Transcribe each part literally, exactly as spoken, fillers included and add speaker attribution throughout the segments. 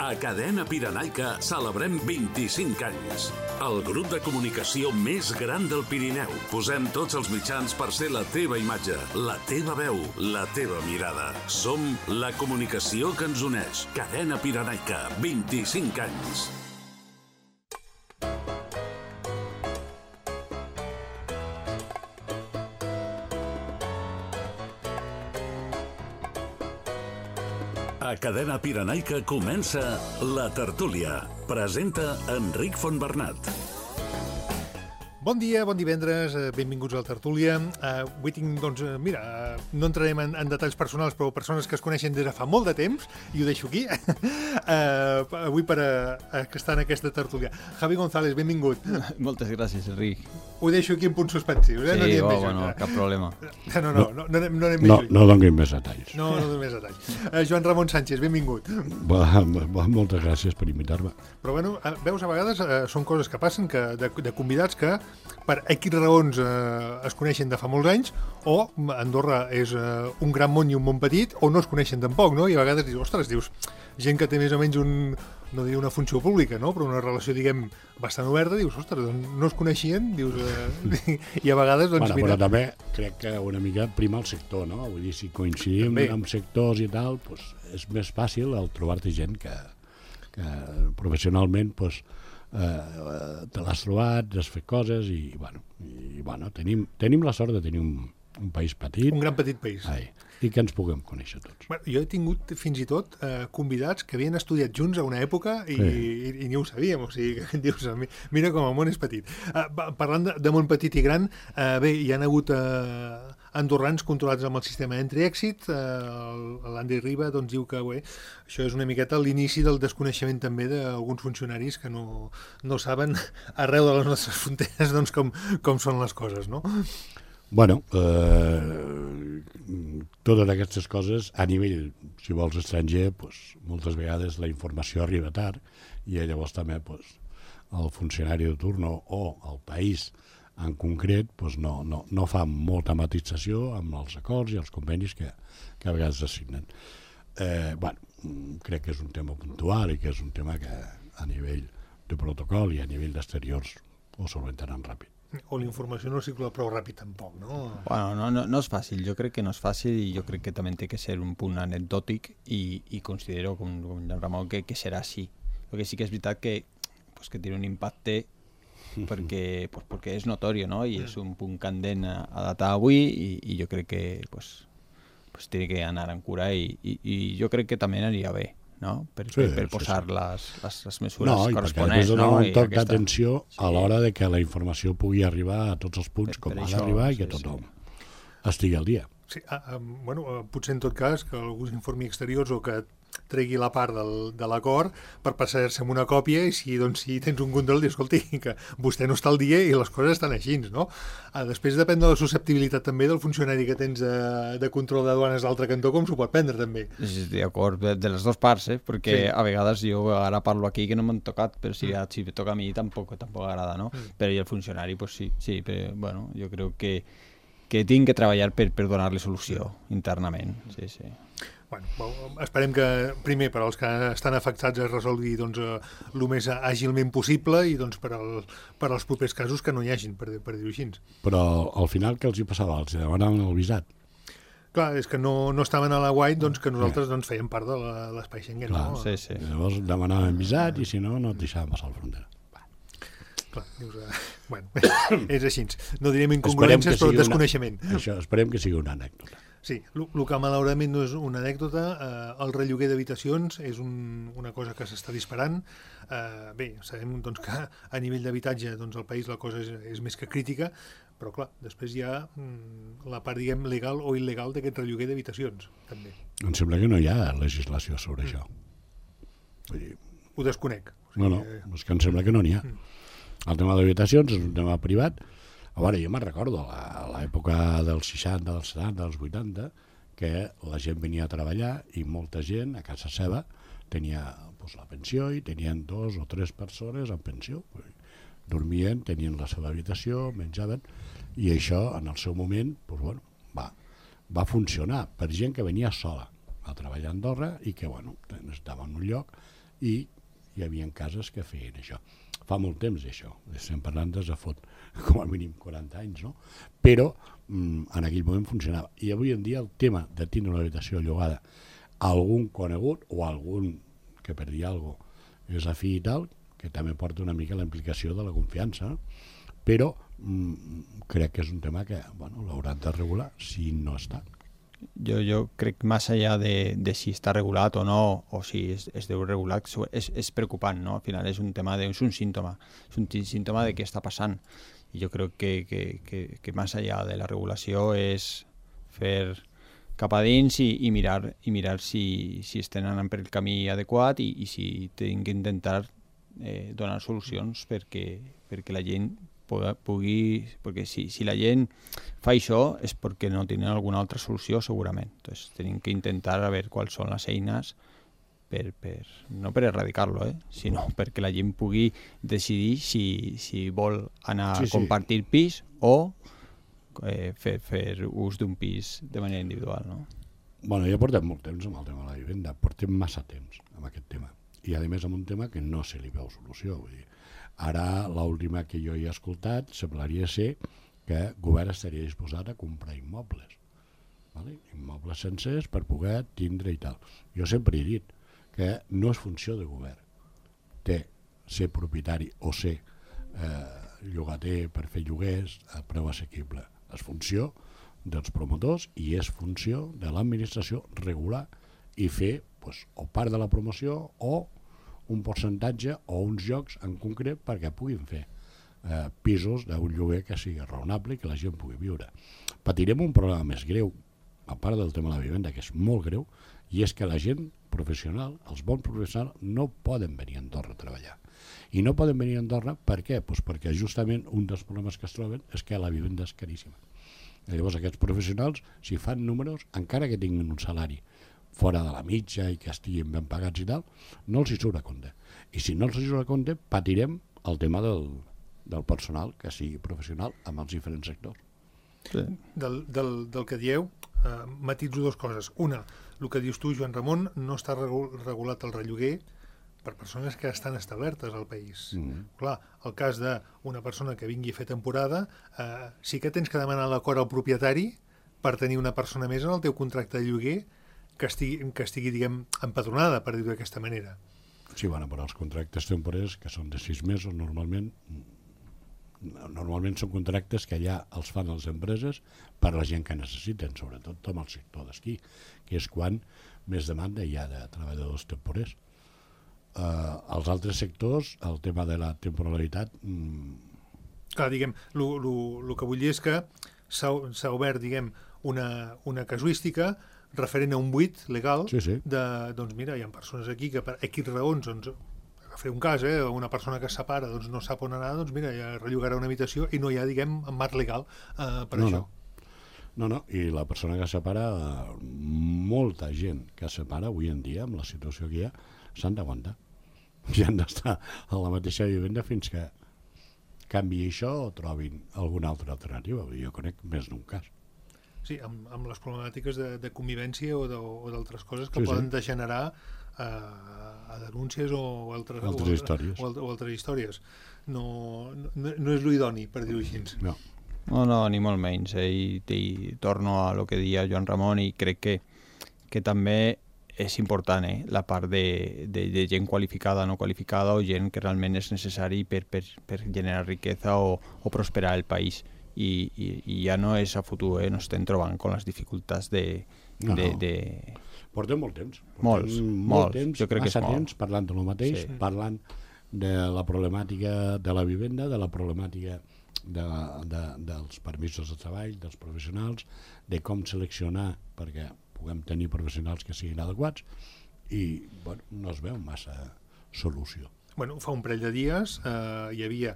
Speaker 1: A Cadena Pirenaica celebrem vint-i-cinc anys. El grup de comunicació més gran del Pirineu. Posem tots els mitjans per ser la teva imatge, la teva veu, la teva mirada. Som la comunicació que ens uneix. Cadena Pirenaica, vint-i-cinc anys. A Cadena Pirenaica comença La Tertúlia. Presenta Enric Fontbernat.
Speaker 2: Bon dia, bon divendres, benvinguts a La Tertúlia. Uh, avui tinc, doncs, uh, mira, uh, no entrarem en, en detalls personals, però persones que es coneixen des de fa molt de temps, i ho deixo aquí, uh, avui per uh, estar en aquesta tertúlia. Javi González, benvingut.
Speaker 3: Moltes gràcies, Enric.
Speaker 2: Ho deixo aquí en punts suspensius, eh?
Speaker 3: Sí,
Speaker 2: no
Speaker 3: oh,
Speaker 2: més,
Speaker 3: bueno, cap problema.
Speaker 2: No, no, no, no, no, anem, no anem
Speaker 4: no,
Speaker 2: més
Speaker 4: no donin més detalls.
Speaker 2: No, no donem més detalls. Uh, Joan Ramon Sánchez, benvingut.
Speaker 4: Va, va, moltes gràcies per invitar-me.
Speaker 2: Però, bueno, veus, a vegades uh, són coses que passen, que de, de convidats que per X raons eh, es coneixen de fa molts anys, o Andorra és eh, un gran món i un món petit, o no es coneixen tampoc, no? I a vegades dius, ostres, dius, gent que té més o menys un, no diria una funció pública, no? Però una relació, diguem, bastant oberta, dius, ostres, doncs no es coneixien, dius, eh, i a vegades, doncs,
Speaker 4: bueno,
Speaker 2: mira...
Speaker 4: Però també crec que una mica prima el sector, no? Vull dir, si coincidim també amb sectors i tal, doncs és més fàcil el trobar-te gent que, que professionalment, doncs, Uh, te l'has trobat, has fet coses i, bueno, i, bueno tenim, tenim la sort de tenir un, un país petit.
Speaker 2: Un gran petit país.
Speaker 4: Ai, i que ens puguem conèixer tots.
Speaker 2: Bueno, jo he tingut fins i tot eh, convidats que havien estudiat junts a una època i, sí. i, i ni ho sabíem, o sigui, que dius, mira com el món és petit. Uh, parlant de, de món petit i gran, uh, bé, hi han hagut... Uh, andorrans controlats amb el sistema entry-exit. eh, l'Andy Riba doncs, diu que bé, això és una miqueta l'inici del desconeixement també d'alguns funcionaris que no, no saben arreu de les nostres fronteres doncs, com, com són les coses, no?
Speaker 4: Bueno, eh, totes aquestes coses a nivell, si vols, estranger, pues, moltes vegades la informació arriba tard i llavors també pues, el funcionari de turno o el país en concret doncs no, no, no fa molta matització amb els acords i els convenis que, que a vegades es signen. Eh, bueno, crec que és un tema puntual i que és un tema que a nivell de protocol i a nivell d'exteriors ho solventaran ràpid.
Speaker 2: O la informació no circula prou ràpid tampoc, no?
Speaker 3: Bueno, no, no, no és fàcil, jo crec que no és fàcil i jo crec que també té que ser un punt anecdòtic i, i considero, com, com el Ramon, que, que serà així. Perquè sí que és veritat que, pues, que té un impacte perquè, pues, perquè és notori, no? I és un punt candent a, a datar avui i, i jo crec que pues, pues, té que anar en cura i, i, i jo crec que també aniria bé, no? Per, sí, per, per posar sí, sí. Les, les, les mesures no, corresponents.
Speaker 4: No, i perquè després donar un toc aquesta... d'atenció sí. a l'hora de que la informació pugui arribar a tots els punts per, com per ha d'arribar i que sí, tothom sí. estigui al dia.
Speaker 2: Sí, uh, bueno, uh, potser en tot cas que algú s'informi exteriors o que tregui la part del, de l'acord per passar-se amb una còpia i si, doncs, si tens un control, dius, escolti, que vostè no està al dia i les coses estan així, no? Uh, després depèn de la susceptibilitat també del funcionari que tens de, de control de duanes d'altre cantó, com s'ho pot prendre també.
Speaker 3: Sí, d'acord, de, de les dues parts, eh? Perquè sí. A vegades jo ara parlo aquí que no m'han tocat, però si, mm. si toca a mi tampoc, tampoc agrada, no? Mm. Però i el funcionari, pues sí, sí, però, bueno, jo crec que que tinc que treballar per, per donar-li solució internament. Sí, sí.
Speaker 2: Bueno, esperem que primer per als que estan afectats es resolgui doncs, el més àgilment possible i doncs, per, al, per als propers casos que no hi hagin, per, per dir-ho així.
Speaker 4: Però al final què els hi passava? Els demanaven el visat?
Speaker 2: Clar, és que no, no estaven a la White, doncs que nosaltres doncs, fèiem part de l'espai Schengen.
Speaker 4: Clar,
Speaker 2: no?
Speaker 3: Sí, sí.
Speaker 4: Llavors demanaven visat i si no, no et deixaven passar la frontera.
Speaker 2: Clar, dius, uh, bueno, és així. No direm incongruències, però desconeixement.
Speaker 4: Una, això, esperem que sigui una anècdota.
Speaker 2: Sí, el que malauradament no és una anècdota, eh, el relloguer d'habitacions és un, una cosa que s'està disparant. Eh, bé, sabem doncs, que a nivell d'habitatge doncs, al país la cosa és, és més que crítica, però clar, després hi ha mm, la part, diguem, legal o il·legal d'aquest relloguer d'habitacions, també.
Speaker 4: Em sembla que no hi ha legislació sobre mm. això. Vull dir...
Speaker 2: Ho desconec. O sigui,
Speaker 4: no, no, és que em sembla que no n'hi ha. Mm. El tema d'habitacions és un tema privat. A veure, jo me'n recordo a l'època dels seixanta, dels setanta, dels vuitanta, que la gent venia a treballar i molta gent a casa seva tenia pues, la pensió i tenien dos o tres persones en pensió. Dormien, tenien la seva habitació, menjaven, i això en el seu moment pues, bueno, va, va funcionar per gent que venia sola a treballar a Andorra i que bueno, estava en un lloc i hi havia cases que feien això. Fa molt temps, això. Estem parlant des de fot com a mínim quaranta anys, no? Però mm, en aquell moment funcionava. I avui en dia el tema de tindre una habitació llogada a algun conegut o a algun que per dir alguna cosa és afí i tal, que també porta una mica la implicació de la confiança, no? Però mm, crec que és un tema que bueno, l'hauran de regular si no està.
Speaker 3: Yo, yo creo que más allá de, de si está regulado o no, o si es, es de regular, es, es preocupante, ¿no? Al final es un tema de, es un síntoma, es un síntoma de qué está pasando. Y yo creo que, que, que, que más allá de la regulación es fer cap a dins i, i mirar, i mirar si, si estem anant per el camí adequat i, i si hem d'intentar eh, donar solucions perquè, perquè la gent pugui, perquè si, si la gent fa això és perquè no tenen alguna altra solució segurament. Entonces tenim que intentar a veure quals són les eines per, per, no per erradicar-lo, eh, sinó perquè la gent pugui decidir si, si vol anar sí, sí. a compartir pis o eh, fer, fer ús d'un pis de manera individual, no?
Speaker 4: Bueno, ja portem molt temps amb el tema de la vivenda, portem massa temps amb aquest tema i a més amb un tema que no se li veu solució, vull dir. Ara, l'última que jo he escoltat semblaria ser que el govern estaria disposat a comprar immobles, vale? Immobles sencers per poder tindre i tal. Jo sempre he dit que no és funció de govern, té ser propietari o ser eh, llogater per fer lloguers a preu assequible. És funció dels promotors i és funció de l'administració regular i fer pues, o part de la promoció o un percentatge o uns jocs en concret perquè puguin fer eh, pisos d'un lloguer que sigui raonable i que la gent pugui viure. Patirem un problema més greu, a part del tema de la vivenda, que és molt greu, i és que la gent professional, els bons professionals, no poden venir a Andorra a treballar. I no poden venir a Andorra per què? Pues perquè justament un dels problemes que es troben és que la vivenda és caríssima. I llavors aquests professionals, si fan números, encara que tinguin un salari fora de la mitja i que estiguin ben pagats i tal, no els hi surt a compte. I si no els hi surt a compte, patirem el tema del, del personal que sigui professional amb els diferents sectors.
Speaker 2: Sí. Del, del, del que dieu, eh, matitzo dues coses. Una, el que dius tu, Joan Ramon, no està regulat el relloguer per persones que estan establertes al país. Mm. Clar, el cas d'una persona que vingui a fer temporada, eh, sí que tens que demanar l'acord al propietari per tenir una persona més en el teu contracte de lloguer que estigui, que estigui diguem, empadronada, per dir-ho d'aquesta manera.
Speaker 4: Sí, bueno, però els contractes temporers, que són de sis mesos, normalment normalment són contractes que ja els fan les empreses per a la gent que necessiten, sobretot amb el sector d'esquí, que és quan més demanda hi ha de treballadors temporers. Uh, els altres sectors, el tema de la temporalitat... Mm...
Speaker 2: Clar, diguem, el que vull dir és que s'ha obert, diguem, una, una casuística referent a un buit legal
Speaker 4: sí, sí.
Speaker 2: de, doncs mira, hi ha persones aquí que per X raons, doncs, a fer un cas, eh, una persona que es separa, doncs no sap on anar, doncs mira, ja rellogarà una habitació i no hi ha, diguem, en marc legal eh, per
Speaker 4: no,
Speaker 2: això.
Speaker 4: No. no, no, i la persona que es separa, molta gent que es separa avui en dia, amb la situació que hi ha, s'han d'aguantar. I han d'estar a la mateixa vivenda fins que canvi això o trobin alguna altra alternativa. Jo conec més d'un cas.
Speaker 2: Sí, amb, amb les problemàtiques de, de convivència o d'altres coses que
Speaker 4: sí,
Speaker 2: poden
Speaker 4: sí.
Speaker 2: degenerar a, a denúncies o altres,
Speaker 4: altres
Speaker 2: o,
Speaker 4: històries.
Speaker 2: O, o altres històries. No, no, no és l'idoni, per dir-ho així.
Speaker 4: No.
Speaker 3: no, no, ni molt menys. Eh? I, i torno a lo que deia Joan Ramon i crec que, que també és important eh? la part de, de, de gent qualificada, no qualificada o gent que realment és necessari per, per, per generar riquesa o, o prosperar el país. I, i, i ja no és a futur, eh? no estem trobant amb les dificultats de...
Speaker 4: No,
Speaker 3: de,
Speaker 4: no.
Speaker 3: de...
Speaker 4: Portem molt temps. Portem
Speaker 3: molts,
Speaker 4: molt
Speaker 3: molts.
Speaker 4: Temps,
Speaker 3: jo crec que és molt.
Speaker 4: Temps parlant de lo mateix, sí. Parlant de la problemàtica de la vivenda, de la problemàtica de, de, dels permisos de treball, dels professionals, de com seleccionar perquè puguem tenir professionals que siguin adequats i bueno, no es veu massa solució.
Speaker 2: Bueno, fa un parell de dies eh, hi havia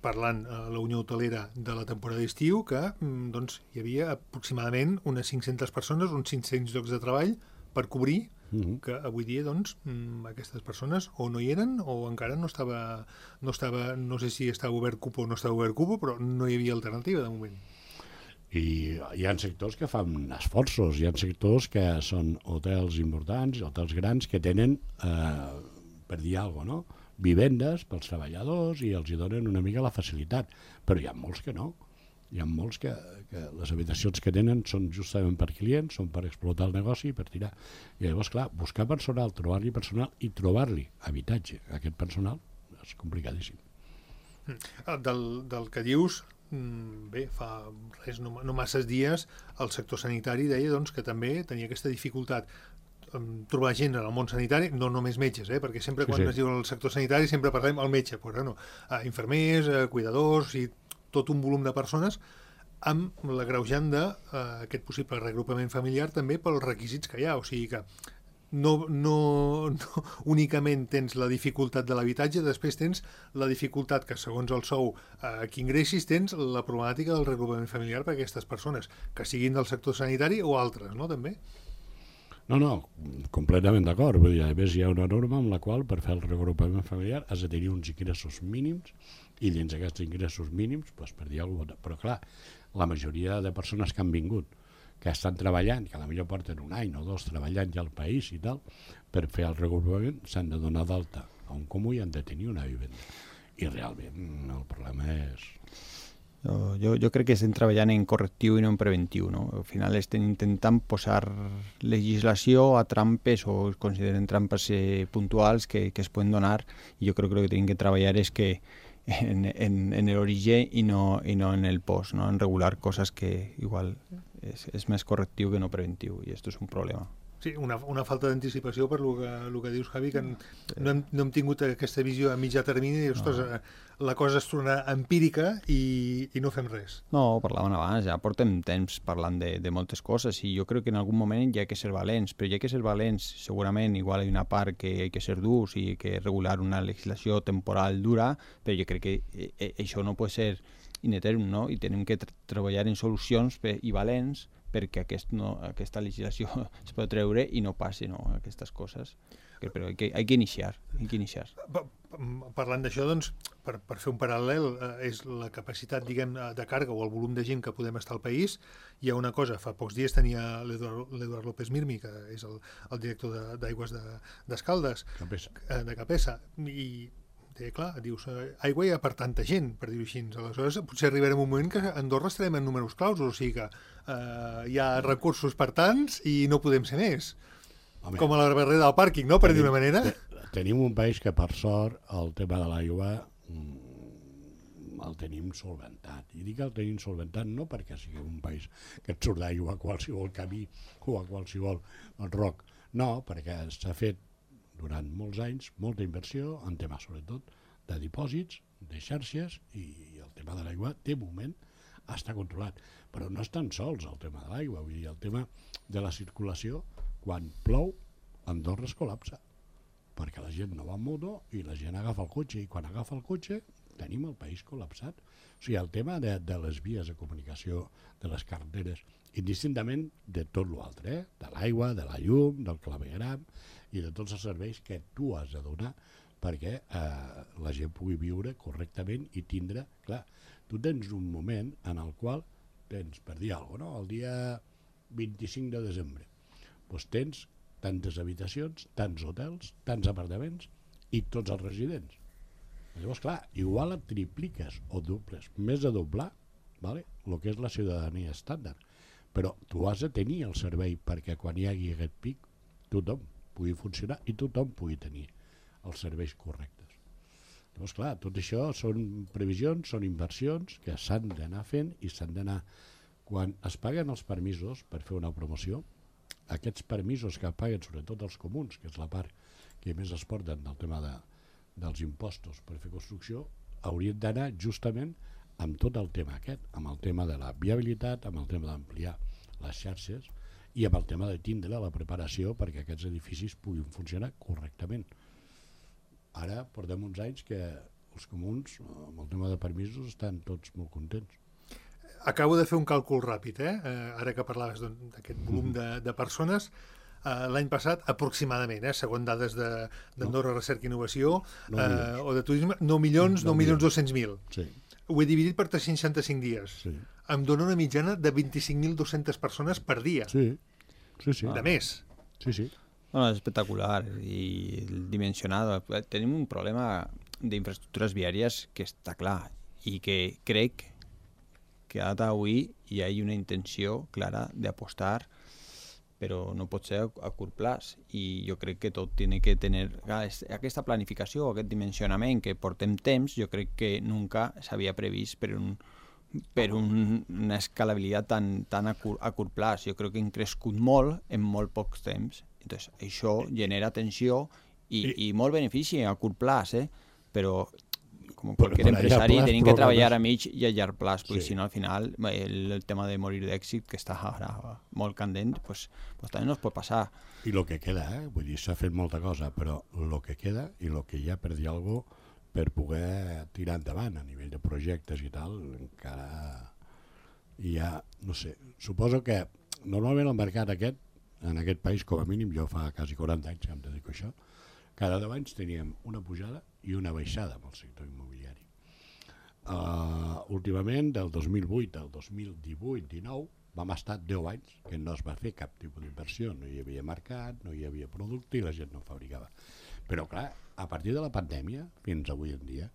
Speaker 2: parlant a la Unió Hotelera de la temporada d'estiu, que doncs, hi havia aproximadament unes cinc-centes persones, uns cinc-cents llocs de treball per cobrir, uh-huh. que avui dia doncs, aquestes persones o no hi eren o encara no estava, no estava, no sé si estava obert cupo o no estava obert cupo, però no hi havia alternativa de moment.
Speaker 4: I hi ha sectors que fan esforços, hi ha sectors que són hotels importants, hotels grans, que tenen eh, per dir alguna cosa, no? Vivendes pels treballadors i els hi donen una mica la facilitat, però hi ha molts que no. Hi ha molts que, que les habitacions que tenen són justament per clients, són per explotar el negoci i per tirar. I llavors, clar, buscar personal, trobar-li personal i trobar-li habitatge a aquest personal és complicadíssim.
Speaker 2: Del, del que dius, bé, fa res, no, no masses dies, el sector sanitari deia doncs, que també tenia aquesta dificultat trobar gent en el món sanitari, no només metges, eh? Perquè sempre quan sí, sí. es diu el sector sanitari sempre parlem al metge, però no, a infermers, a cuidadors, i tot un volum de persones, amb l'agreujant d'aquest possible reagrupament familiar també pels requisits que hi ha, o sigui que no, no, no únicament tens la dificultat de l'habitatge, després tens la dificultat que segons el sou eh, que ingressis tens la problemàtica del reagrupament familiar per a aquestes persones, que siguin del sector sanitari o altres, no, també?
Speaker 4: No, no, completament d'acord. Vull dir, a més hi ha una norma amb la qual per fer el reagrupament familiar has de tenir uns ingressos mínims i dins d'aquests ingressos mínims, doncs, per dir alguna cosa, però clar, la majoria de persones que han vingut, que estan treballant, que potser porten un any o dos treballant ja al país i tal, per fer el reagrupament s'han de donar d'alta a un comú i han de tenir una vivenda. I realment el problema és...
Speaker 3: Jo, jo, jo crec que estem treballant en correctiu i no en preventiu, no? Al final estem intentant posar legislació a trampes o es consideren trampes eh, puntuals que, que es poden donar, i jo crec que el que tenim que treballar és que en, en, en l'origen i no, i no en el post, no? En regular coses que igual és, és més correctiu que no preventiu, i això és un problema.
Speaker 2: Sí, una, una falta d'anticipació per lo que, lo que dius, Javi, que no hem, no hem tingut aquesta visió a mitjà termini i, ostres, no. La cosa es torna empírica i, i no fem res.
Speaker 3: No, parlaven abans, ja portem temps parlant de, de moltes coses i jo crec que en algun moment hi ha que ser valents, però hi ha que ser valents, segurament igual hi ha una part que hi ha que ser durs i que regular una legislació temporal dura, però jo crec que eh, això no pot ser in eternum, no? I tenim que tra treballar en solucions per, i valents perquè aquest no, aquesta legislació es pot treure i no passi, no, aquestes coses. Però hay que, hay que iniciar. Hay que iniciar.
Speaker 2: Parlant d'això, doncs, per, per fer un paral·lel, eh, és la capacitat, diguem, de càrrega o el volum de gent que podem estar al país. Hi ha una cosa, fa pocs dies tenia l'Eduard López Mirmi, que és el, el director d'Aigües de, d'Escaldes, de, de Capesa, i deia, clar, dius, aigua hi ha per tanta gent, per dir-ho així. Aleshores, potser arribarem a un moment que a Andorra estarem en números claus, o sigui que eh, hi ha recursos per tants i no podem ser més. Home, com a la barrera del pàrquing, no?, per dir una manera.
Speaker 4: Tenim un país que, per sort, el tema de l'aigua el tenim solventat. I dic el tenim solventat no perquè sigui un país que et surt d'aigua a qualsevol camí o a qualsevol roc. No, perquè s'ha fet durant molts anys molta inversió en temes, sobretot, de dipòsits, de xarxes, i el tema de l'aigua, de moment, està controlat. Però no és tan sols el tema de l'aigua, vull dir, el tema de la circulació, quan plou, Andorra es col·lapsa, perquè la gent no va en moto i la gent agafa el cotxe, i quan agafa el cotxe tenim el país col·lapsat. O sigui, el tema de, de les vies de comunicació, de les carreteres, indistintament de tot l'altre, eh? De l'aigua, de la llum, del clavegram i de tots els serveis que tu has de donar perquè eh, la gent pugui viure correctament i tindre... Clar, tu tens un moment en el qual tens, per dir alguna cosa, no? El dia vint-i-cinc de desembre, doncs tens tantes habitacions, tants hotels, tants apartaments i tots els residents. Llavors, clar, igual et tripliques o dobles, més de doblar, vale? El que és la ciutadania estàndard. Però tu has de tenir el servei perquè quan hi hagi aquest pic tothom pugui funcionar i tothom pugui tenir els serveis correctes. Llavors, clar, tot això són previsions, són inversions que s'han d'anar fent i s'han d'anar... Quan es paguen els permisos per fer una promoció, aquests permisos que paguen sobretot els comuns, que és la part que més es porten del tema de, dels impostos per fer construcció, haurien d'anar justament amb tot el tema aquest, amb el tema de la viabilitat, amb el tema d'ampliar les xarxes i amb el tema de tindre la preparació perquè aquests edificis puguin funcionar correctament. Ara portem uns anys que els comuns, amb el tema de permisos, estan tots molt contents.
Speaker 2: Acabo de fer un càlcul ràpid, eh? Ara que parlaves d'aquest volum de, de persones, eh, l'any passat aproximadament, eh, segons dades d'Andorra no. Recerca i Innovació no eh, o de turisme, nou milions, nou milions dos-cents mil.
Speaker 4: Sí.
Speaker 2: Ho he dividit per tres-cents seixanta-cinc dies.
Speaker 4: Sí.
Speaker 2: Em dona una mitjana de vint-i-cinc mil dues-centes persones per dia.
Speaker 4: Sí, sí, sí.
Speaker 2: De més.
Speaker 4: Sí, sí.
Speaker 3: Bueno, és espectacular i dimensionat. Tenim un problema d'infraestructures viàries que està clar i que crec que a data d'avui hi ha una intenció clara d'apostar, però no pot ser a curt plaç, i jo crec que tot tiene que tenir aquesta planificació, aquest dimensionament que portem temps. Jo crec que nunca s'havia previst per un per un, una escalabilitat tan, tan a, cur, a curt plaç. Jo crec que hem crescut molt en molt pocs temps. Entonces, això genera tensió i, I, i molt benefici a curt plaç, eh? Però com qualsevol empresari tenim que treballar a mig i a llarg plaç, perquè sí. Si no al final el, el tema de morir d'èxit, que està ara molt candent, pues, pues també no es pot passar.
Speaker 4: I el que queda, eh? Vull dir, s'ha fet molta cosa, però el que queda i el que hi ha per dir alguna cosa per poder tirar endavant a nivell de projectes i tal, encara hi ha, no sé, suposo que normalment el mercat aquest, en aquest país, com a mínim, jo fa quasi quaranta anys que em dedico a això, cada deu anys teníem una pujada i una baixada amb el sector immobiliari. Uh, últimament, del dos mil vuit al dos mil divuit dinou, vam estar deu anys que no es va fer cap tipus d'inversió, no hi havia mercat, no hi havia producte i la gent no fabricava. Però clar, a partir de la pandèmia, fins avui en dia,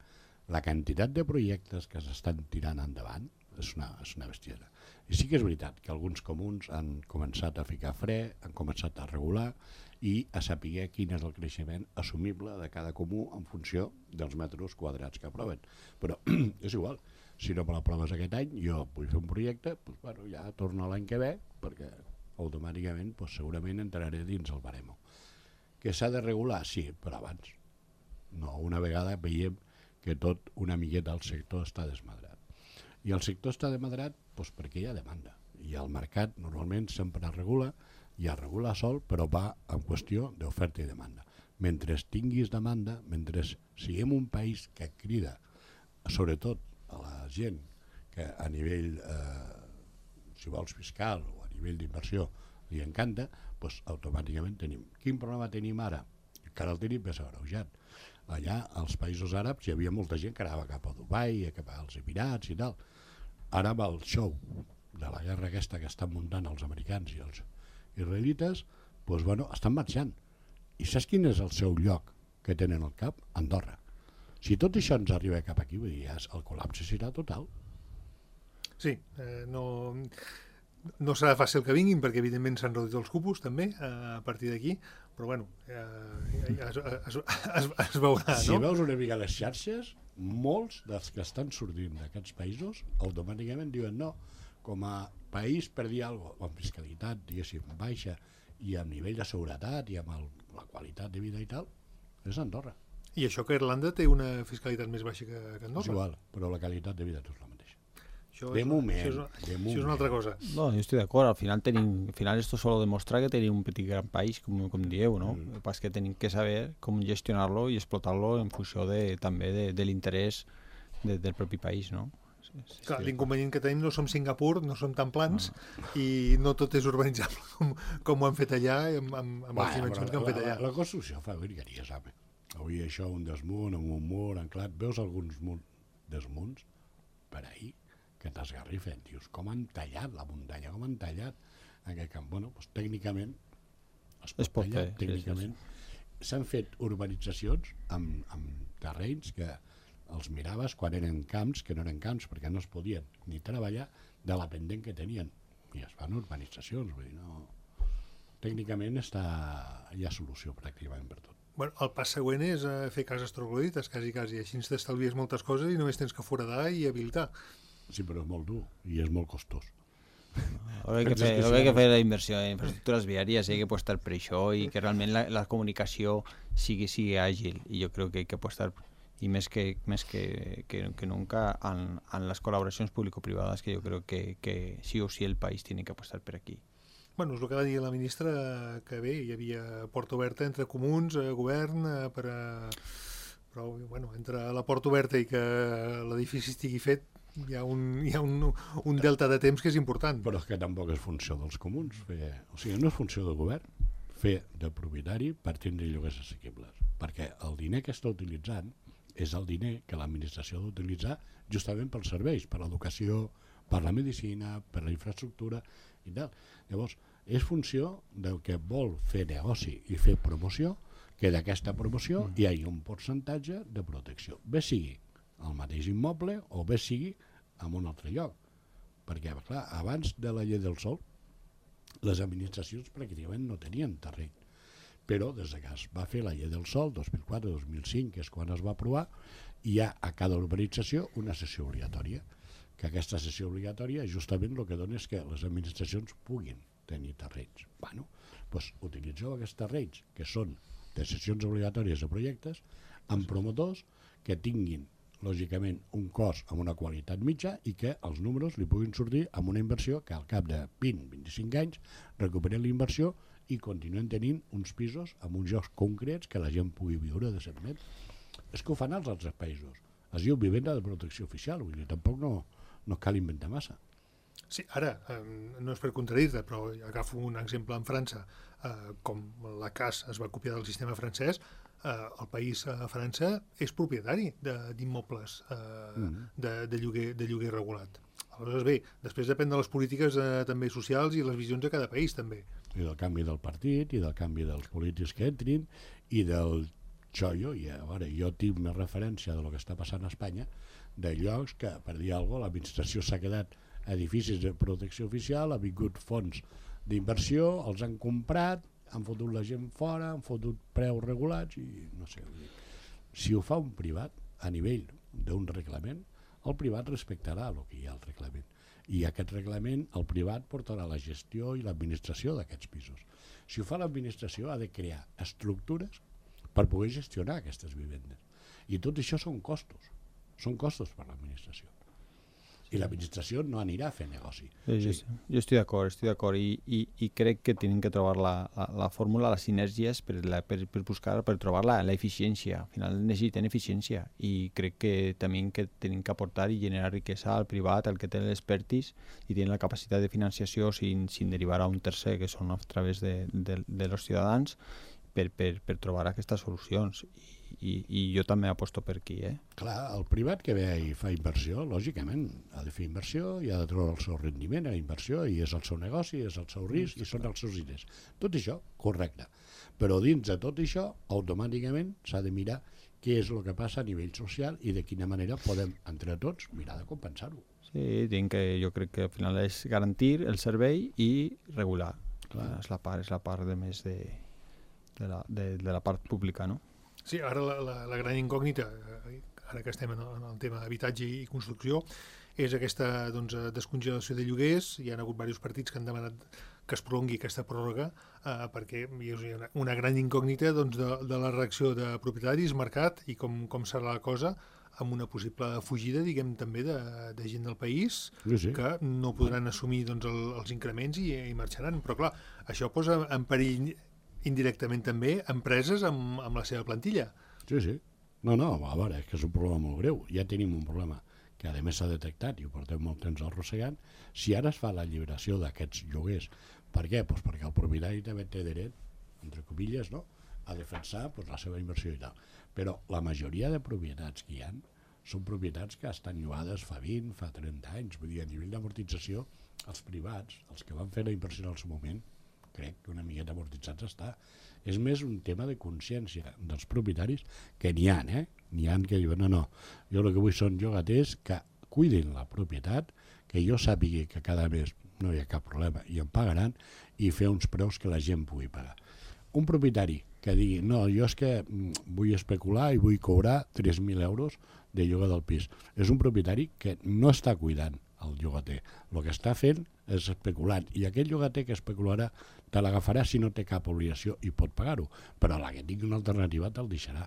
Speaker 4: la quantitat de projectes que s'estan tirant endavant és una, és una bestiesa. I sí que és veritat que alguns comuns han començat a ficar fre, han començat a regular i a saber quin és el creixement assumible de cada comú en funció dels metres quadrats que aproven. Però és igual, si no me l'aproves aquest any, jo vull fer un projecte, doncs, bueno, ja torno l'any que ve, perquè automàticament doncs, segurament entraré dins el baremo. Que s'ha de regular? Sí, però abans. No, una vegada veiem que tot una miqueta al sector està desmadrat. I el sector està desmadrat doncs, perquè hi ha demanda. I el mercat normalment sempre es regula, i es regula sol, però va en qüestió d'oferta i demanda. Mentre tinguis demanda, mentre siguem un país que crida, sobretot a la gent que a nivell, eh, si vols, fiscal o a nivell d'inversió li encanta, doncs automàticament tenim. Quin problema tenim ara? Encara el tenim més agreujat. Allà, als països àrabs, hi havia molta gent que anava cap a Dubai, cap als Emirats i tal. Ara amb el show de la guerra aquesta que estan muntant els americans i els israelites, doncs, bueno, estan marxant. I saps quin és el seu lloc que tenen al cap? Andorra. Si tot això ens arriba cap aquí, vull dir, el col·lapse serà total.
Speaker 2: Sí, eh, no... No serà fàcil que vinguin, perquè evidentment s'han reduït els cupos també a partir d'aquí, però bueno, eh, es, es, es, es veurà, no?
Speaker 4: Si veus una mica les xarxes, molts dels que estan sortint d'aquests països automàticament diuen no, com a país per dir alguna cosa, amb fiscalitat, diguéssim, baixa, i amb nivell de seguretat i amb el, la qualitat de vida i tal, és Andorra.
Speaker 2: I això que Irlanda té una fiscalitat més baixa que, que Andorra?
Speaker 4: És igual, però la qualitat de vida és la mateixa.
Speaker 2: Això
Speaker 4: de
Speaker 2: és,
Speaker 4: moment,
Speaker 2: això és, una,
Speaker 4: de
Speaker 2: això és una altra cosa.
Speaker 3: No, yo estoy de acuerdo. Al final tenim, al final esto solo demostra que tenim un petit gran país, com, com dieu, no? Mm. El que passa és que tenim que saber com gestionar-lo i explotar-lo en funció de, també de, de l'interès de, del propi país, no? Sí, sí,
Speaker 2: Clar,
Speaker 3: sí.
Speaker 2: L'inconvenient que tenim no som Singapur, no som tan plans, no. I no tot és urbanitzable com, com ho han fet allà, amb, amb, amb les dimensions que han fet allà.
Speaker 4: La, la construcció fa virgueries, home. Avui això, un desmunt, amb un mur anclat, veus alguns desmunts per ahir, que t'esgarrifen, dius, com han tallat la muntanya, com han tallat aquest camp. Bueno, doncs tècnicament es pot, es pot tallar, fer, tècnicament. Sí, sí, sí. S'han fet urbanitzacions amb, amb terrenys que els miraves quan eren camps, que no eren camps, perquè no es podien ni treballar de la pendent que tenien. I es fan urbanitzacions, vull dir, no... Tècnicament està... hi ha solució pràcticament per tot.
Speaker 2: Bueno, el pas següent és eh, fer cases troglodites, quasi, quasi. Així ens t'estalvies moltes coses i només tens que foradar i habilitar.
Speaker 4: Sí, però és molt dur i és molt costós.
Speaker 3: Haurà que fer, haurà que fer la inversió en infraestructures viàries, hi ha que apostar per això i que realment la, la comunicació sigui, sigui àgil, i jo crec que hi ha que apostar i més que, més que, que, que nunca en, en les col·laboracions público-privades, que jo crec que, que sí o sí el país tiene que apostar per aquí.
Speaker 2: Bueno, és el que va dir la ministra, que bé, hi havia porta oberta entre comuns, eh, govern, eh, per a... però bueno, entre la porta oberta i que l'edifici estigui fet, hi ha, un, hi ha un, un delta de temps que és important.
Speaker 4: Però és que tampoc és funció dels comuns. Fer, o sigui, no és funció del govern fer de propietari per tindre lloguers assequibles. Perquè el diner que està utilitzant és el diner que l'administració ha d'utilitzar justament pels serveis, per l'educació, per la medicina, per la infraestructura i tal. Llavors, és funció del que vol fer negoci i fer promoció que d'aquesta promoció hi hagi un percentatge de protecció. Bé sigui al mateix immoble o bé sigui en un altre lloc. Perquè, clar, abans de la llei del sòl, les administracions pràcticament no tenien terreny. Però des que es va fer la llei del sòl, dos mil quatre dos mil cinc, que és quan es va aprovar, hi ha a cada urbanització una sessió obligatòria, que aquesta sessió obligatòria justament el que dona és que les administracions puguin tenir terrenys. Bueno, doncs utilitzeu aquests terrenys, que són de sessions obligatòries de projectes, amb promotors que tinguin, lògicament, un cost amb una qualitat mitja i que els números li puguin sortir amb una inversió que al cap de vint a vint-i-cinc anys recuperen la inversió i continuen tenint uns pisos amb uns llocs concrets que la gent pugui viure decentment. És que ho fan als altres països. Es diu vivenda de protecció oficial, vull dir, tampoc no, no cal inventar massa.
Speaker 2: Sí, ara, eh, no és per contradir-te, però agafo un exemple en França, eh, com la C A S es va copiar del sistema francès, eh, el país a França és propietari d'immobles eh, mm. de, de, lloguer, de lloguer regulat. Aleshores, bé, després depèn de les polítiques eh, també socials i les visions de cada país, també.
Speaker 4: I del canvi del partit, i del canvi dels polítics que entrin, i del xollo, i a veure, jo tinc més referència de lo que està passant a Espanya, de llocs que, per dir alguna cosa, l'administració s'ha quedat edificis de protecció oficial, ha vingut fons d'inversió, els han comprat, han fotut la gent fora, han fotut preus regulats, i no sé, si ho fa un privat a nivell d'un reglament, el privat respectarà el que hi ha al reglament. I aquest reglament, el privat portarà la gestió i l'administració d'aquests pisos. Si ho fa l'administració, ha de crear estructures per poder gestionar aquestes vivendes. I tot això són costos. Són costos per l'administració. I l'administració no anirà a fer negoci.
Speaker 3: Sí, sí. Sí. Jo estic d'acord, estic d'acord i, i, i crec que tenim que trobar la, la, la fórmula, les sinergies per, la, per, per buscar, per trobar la, la eficiència. Al final necessitem eficiència i crec que també que tenim que aportar i generar riquesa al privat, al que té l'expertise i té la capacitat de financiació sin, sin derivar a un tercer, que són a través de, de, de los ciutadans, per, per, per trobar aquestes solucions. I, i jo també aposto per aquí. Eh?
Speaker 4: Clar, el privat que ve i fa inversió, lògicament, ha de fer inversió i ha de treure el seu rendiment a inversió i és el seu negoci, és el seu risc i són els seus diners. Tot això, correcte. Però dins de tot això, automàticament s'ha de mirar què és el que passa a nivell social i de quina manera podem, entre tots, mirar de compensar-ho.
Speaker 3: Sí, tinc que, jo crec que al final és garantir el servei i regular. Clar. És la part, és la part de més de, de, la, de, de la part pública, no?
Speaker 2: Sí, ara la, la, la gran incògnita, ara que estem en el, en el tema habitatge i construcció, és aquesta doncs, descongelació de lloguers. Hi ha hagut diversos partits que han demanat que es prolongui aquesta pròrroga eh, perquè hi ha una, una gran incògnita doncs, de, de la reacció de propietaris, mercat i com, com serà la cosa amb una possible fugida, diguem, també de, de gent del país
Speaker 4: sí, sí.
Speaker 2: que no podran assumir doncs, el, els increments i, i marxaran. Però clar, això posa en perill indirectament també empreses amb, amb la seva plantilla.
Speaker 4: Sí, sí. No, no, a veure, és que és un problema molt greu. Ja tenim un problema que a més s'ha detectat i ho portem molt temps arrossegant. Si ara es fa la lliberació d'aquests lloguers, per què? Pues perquè el propietari també té dret, entre comilles, no? a defensar pues, la seva inversió i tal. Però la majoria de propietats que hi ha són propietats que estan llogades fa vint, fa trenta anys. Vull dir, a nivell d'amortització, els privats, els que van fer la inversió en el seu moment, crec que una miqueta amortitzats està. És més un tema de consciència dels propietaris, que n'hi ha, eh? N'hi ha que diuen, no, no, jo el que vull són llogaters que cuidin la propietat, que jo sàpigui que cada mes no hi ha cap problema i em pagaran, i fer uns preus que la gent pugui pagar. Un propietari que digui, no, jo és que vull especular i vull cobrar tres mil euros de lloguer del pis. És un propietari que no està cuidant el llogater. El que està fent és especulant, i aquest llogater que especularà te l'agafarà si no té cap obligació i pot pagar-ho, però la que tingui una alternativa te'l deixarà.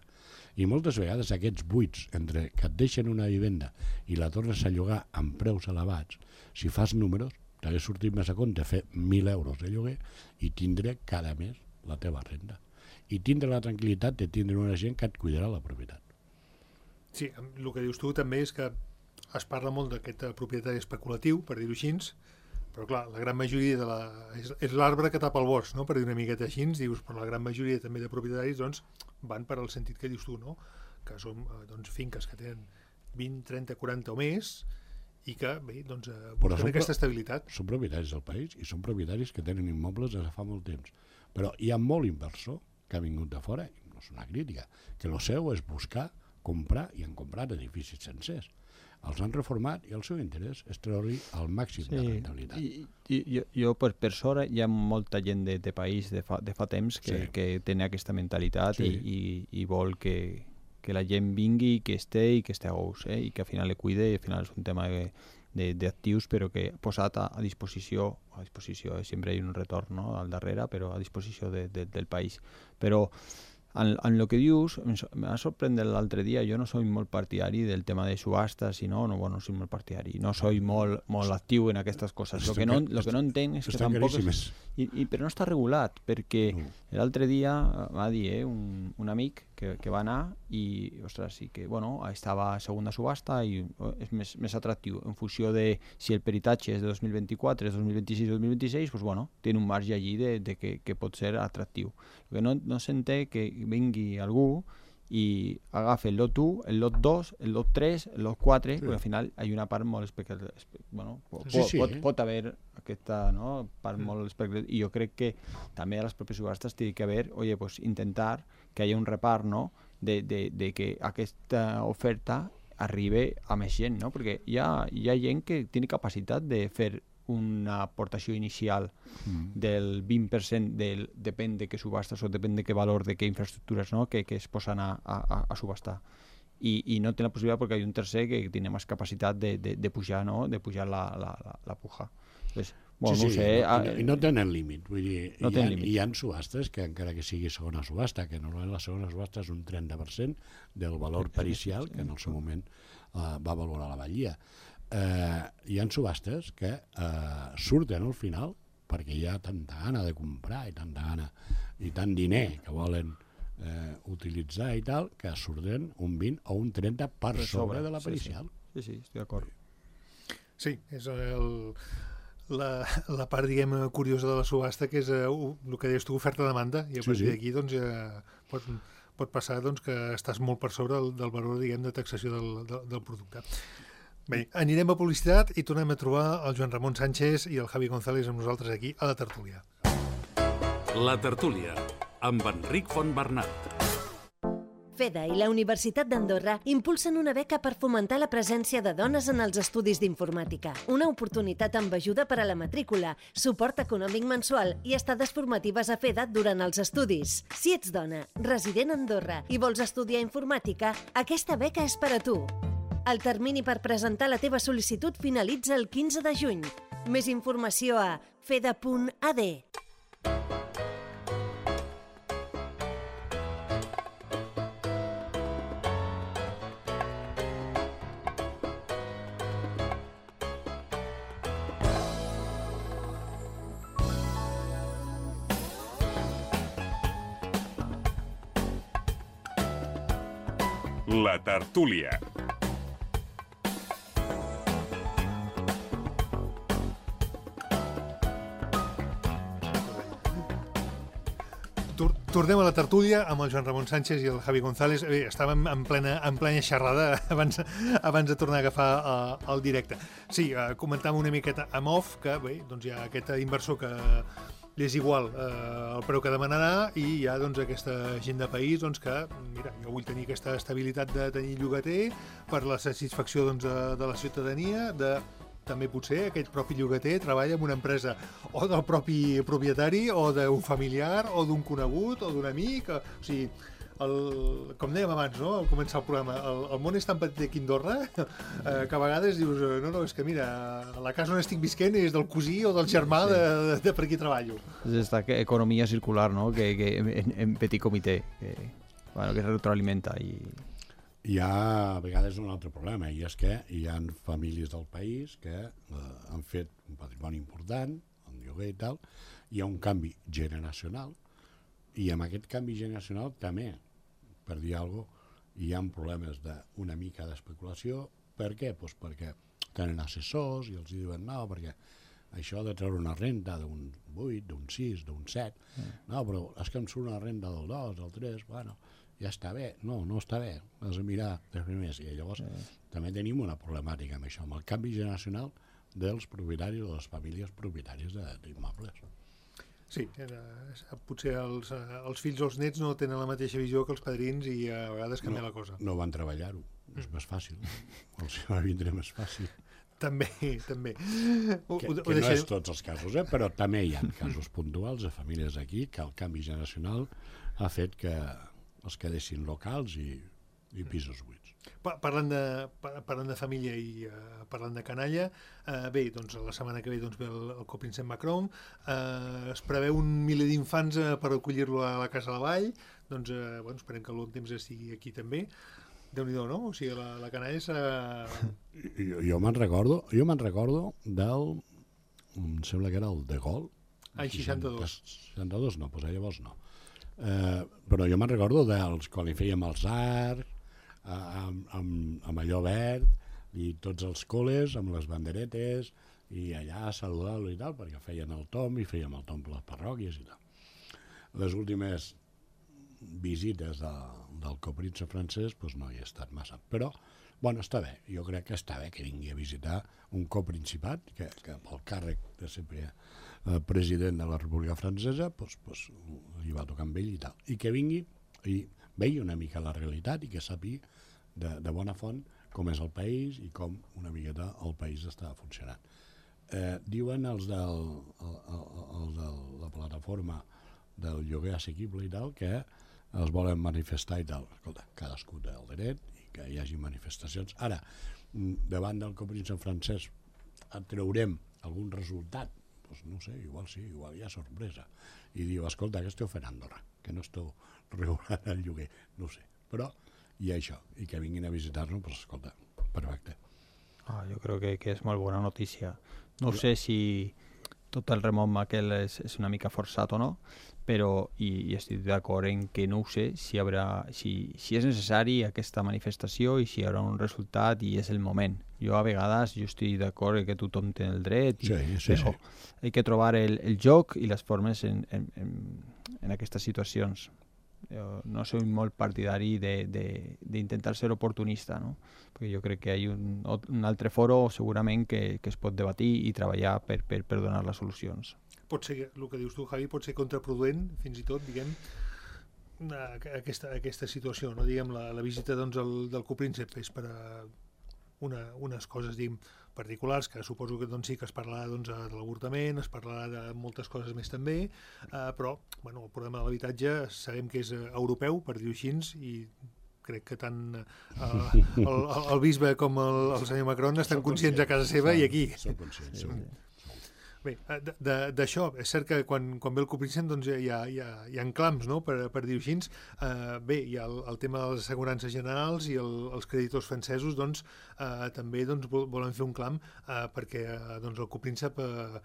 Speaker 4: I moltes vegades aquests buits entre que et deixen una vivenda i la tornes a llogar amb preus elevats, si fas números, t'hagués sortit més a compte fer mil euros de lloguer i tindre cada mes la teva renda. I tindre la tranquil·litat de tindre una gent que et cuidarà la propietat.
Speaker 2: Sí, el que dius tu també és que es parla molt d'aquest propietari especulatiu, per dir-ho així, però clar, la gran majoria de la... és, és l'arbre que tapa el bosc, no? Per dir una miqueta així, dius, però la gran majoria també de propietaris doncs, van per al sentit que dius tu, no? Que són doncs, finques que tenen vint, trenta, quaranta o més i que, bé, doncs, busquen aquesta estabilitat.
Speaker 4: Són propietaris del país i són propietaris que tenen immobles des de fa molt temps. Però hi ha molt inversor que ha vingut de fora, no és una crítica, que el seu és buscar, comprar, i han comprat edificis sencers. Els han reformat i el seu interès és treure-hi el màxim sí, de rentabilitat.
Speaker 3: I, i, jo, jo per, per sort, hi ha molta gent de, de país de fa, de fa temps que, sí. que té aquesta mentalitat sí. i, i, i vol que, que la gent vingui, que esté i que esté a gust, eh? I que al final le cuide, i al final és un tema de, de, d'actius, però que posat a, a disposició, a disposició, eh? Sempre hi ha un retorn, no? Al darrere, però a disposició de, de, del país. Però en, en el que dius, em va sorprendre l'altre dia, jo no soy molt partidari del tema de subhastes, i no, no, bueno, no soy molt partidari, no soy molt, molt actiu en aquestes coses. Lo que no, lo que no entenc és que tampoc... És, i, i, però no està regulat, perquè no. L'altre dia va dir eh, un, un amic que, que va anar i, ostres, sí que, bueno, estava a segunda subhasta i és més, més atractiu. En funció de si el peritatge és de dos mil vint-i-quatre, és dos mil vint-i-sis, dos mil vint-i-seis, pues bueno, té un marge allí de, de que, que pot ser atractiu. El que no, no s'entén que vingui algú i agafa el lot u, el lot dos, el lot tres, el lot quatre, sí. Perquè al final hi ha una part molt espectacular. Bueno, sí, sí, pot, eh? pot haver aquesta no, part sí. molt espectacular. I jo crec que també a les pròpies subhastes té que haver, oye, pues intentar que hi hagi un repart, no?, de, de, de que aquesta oferta arribi a més gent, no? Perquè hi ha, hi ha gent que té capacitat de fer una aportació inicial mm. del vint per cent, del, depèn de què subhastes o depèn de què valor, de què infraestructures, no?, que, que es posen a, a, a subhastar. I, I no té la possibilitat perquè hi ha un tercer que té més capacitat de, de, de pujar, no?, de pujar la, la, la, la puja. Entonces, bueno, sí,
Speaker 4: sí,
Speaker 3: no sé,
Speaker 4: i no, i no tenen límit. Vull dir,
Speaker 3: no
Speaker 4: hi, ha,
Speaker 3: límit.
Speaker 4: hi ha subhastes que encara que sigui segona subhasta, que normalment la segona subhasta és un trenta per cent del valor pericial que en el seu moment uh, va valorar la batllia. Eh, hi ha subhastes que eh, surten al final perquè hi ha tanta gana de comprar i tanta gana i tant diner que volen eh, utilitzar i tal, que surten un vint o un trenta per sobre, sobre de la pericial.
Speaker 3: Sí, sí, sí, estic d'acord.
Speaker 2: Sí, és el, la, la part, diguem, curiosa de la subhasta, que és eh, el que deies tu, oferta-demanda, i a partir sí, sí. d'aquí doncs, ja pot, pot passar doncs, que estàs molt per sobre del, del valor, diguem, de taxació del, del, del producte. Bé, anirem a publicitat i tornem a trobar el Joan Ramon Sánchez i el Javi González amb nosaltres aquí a la tertúlia.
Speaker 1: La tertúlia, amb Enric Fontbernat.
Speaker 5: FEDA i la Universitat d'Andorra impulsen una beca per fomentar la presència de dones en els estudis d'informàtica. Una oportunitat amb ajuda per a la matrícula, suport econòmic mensual i estades formatives a FEDA durant els estudis. Si ets dona, resident a Andorra i vols estudiar informàtica, aquesta beca és per a tu. El termini per presentar la teva sol·licitud finalitza el quinze de juny. Més informació a feda punt a d.
Speaker 1: La tertúlia.
Speaker 2: Tornem a la tertúlia amb el Joan Ramon Sánchez i el Javi González. Bé, estàvem en plena, en plena xerrada abans, abans de tornar a agafar uh, el directe. Sí, uh, comentàvem una miqueta amb off que bé, doncs hi ha aquest inversor que li és igual uh, el preu que demanarà i hi ha doncs, aquesta gent de país doncs, que, mira, jo vull tenir aquesta estabilitat de tenir llogater per la satisfacció doncs, de, de la ciutadania, de també potser aquell propi llogater treballa en una empresa o del propi propietari o d'un familiar o d'un conegut o d'un amic, o, o sigui, el, com dèiem abans, no?, al començar el programa, el, el món és tan petit aquí a Andorra eh, que a vegades dius, no, no, és que mira, la casa on estic visquent és del cosí o del germà sí. de, de, de per aquí treballo.
Speaker 3: És esta economia circular, no?, que, que en, en petit comitè, que, bueno, que es retroalimenta i...
Speaker 4: Hi ha a vegades un altre problema, i és que hi ha famílies del país que eh, han fet un patrimoni important, el lloguer i tal, hi ha un canvi generacional, i amb aquest canvi generacional també, per dir alguna cosa, hi ha problemes d'una mica d'especulació. Per què? Pues perquè tenen assessors i els diuen no, perquè això de treure una renta d'un vuit, d'un sis, d'un set, mm. no, però és que em surt una renta del dos, del tres, bueno... ja està bé. No, no està bé. Has de mirar de primers. I llavors sí. també tenim una problemàtica amb això, amb el canvi generacional dels propietaris o de les famílies propietàries d'immobles.
Speaker 2: Sí, potser els, els fills o els nets no tenen la mateixa visió que els padrins i a vegades canvia
Speaker 4: no,
Speaker 2: la cosa.
Speaker 4: No van treballar-ho, és mm. més fàcil. Els va vindre més fàcil.
Speaker 2: També, també.
Speaker 4: Ho, que, ho, que no és tots els casos, eh? Però també hi ha casos puntuals de famílies aquí que el canvi generacional ha fet que els quedessin locals i, i pisos buits.
Speaker 2: Parlant de, parlant de família i uh, parlant de canalla, uh, bé, doncs la setmana que ve doncs, ve el, el copríncep Macron, uh, es preveu un miler d'infants uh, per acollir-lo a la Casa de la Vall, doncs uh, bueno, esperem que l'un temps estigui aquí també. Déu-n'hi-do, no? O sigui, la, la canalla és... Uh...
Speaker 4: Jo, jo me'n recordo, jo me'n recordo del... em sembla que era el de Gaulle.
Speaker 2: Ai, seixanta-dos.
Speaker 4: seixanta-dos no, doncs llavors no. Uh, però jo me'n recordo dels quan li fèiem els arcs, Amb, amb, amb allò verd i tots els col·les amb les banderetes i allà saludar-lo i tal, perquè feien el tom i fèiem el tom per les parròquies i tal. Les últimes visites de, del copríncep francès doncs no hi he estat massa, però bueno, està bé, jo crec que està bé que vingui a visitar un coprincipat que, que pel càrrec de ser eh, president de la República Francesa doncs, doncs, li va tocar amb ell i tal, i que vingui i vegi una mica la realitat i que sàpiga de, de bona font com és el país i com una miqueta el país està funcionant. Eh, diuen els del, el, el, el de la plataforma del lloguer assequible i tal que els volen manifestar i tal. Escolta, cadascú té el dret i que hi hagi manifestacions. Ara, davant del copríncep francès treurem algun resultat, doncs no sé, igual sí, igual hi ha sorpresa. I diu, escolta, què esteu fent a Andorra? Que no esteu regulant el lloguer, no sé. Però hi ha això, i que vinguin a visitar-nos, doncs escolta, perfecte.
Speaker 3: Ah, jo crec que, que és molt bona notícia. No sé si tot el remot aquell és, és una mica forçat o no, però i, i estic d'acord en que no ho sé si, haurà, si, si és necessari aquesta manifestació i si hi haurà un resultat i és el moment. Jo a vegades jo estic d'acord que tothom té el dret, i,
Speaker 4: sí, sí,
Speaker 3: però
Speaker 4: sí.
Speaker 3: Hay que trobar el, el joc i les formes en, en, en, en aquestes situacions. Jo no soy molt partidari d'intentar ser oportunista, no? Perquè jo crec que hi ha un, un altre foro segurament que, que es pot debatir i treballar per, per, per donar les solucions.
Speaker 2: Pot ser, el que dius tu, Javi, pot ser contraproduent, fins i tot, diguem, aquesta, aquesta situació, no? Diguem, la, la visita doncs, el, del copríncep és per a una, unes coses, diguem, particulars, que suposo que doncs, sí que es parlarà doncs, de l'avortament, es parlarà de moltes coses més també, eh, però bueno, el problema de l'habitatge sabem que és europeu, per dir-ho així, i crec que tant eh, el, el bisbe com el, el senyor Macron estan conscients a casa seva i aquí.
Speaker 4: Són conscients, sí.
Speaker 2: Bé, d'això, és cert que quan, quan ve el copríncep doncs, hi, ha, hi, ha, hi ha clams, no? per, per dir-ho així. Uh, bé, hi ha el, el tema de les assegurances generals i el, els creditors francesos doncs, uh, també doncs, volen fer un clam uh, perquè uh, doncs, el copríncep uh,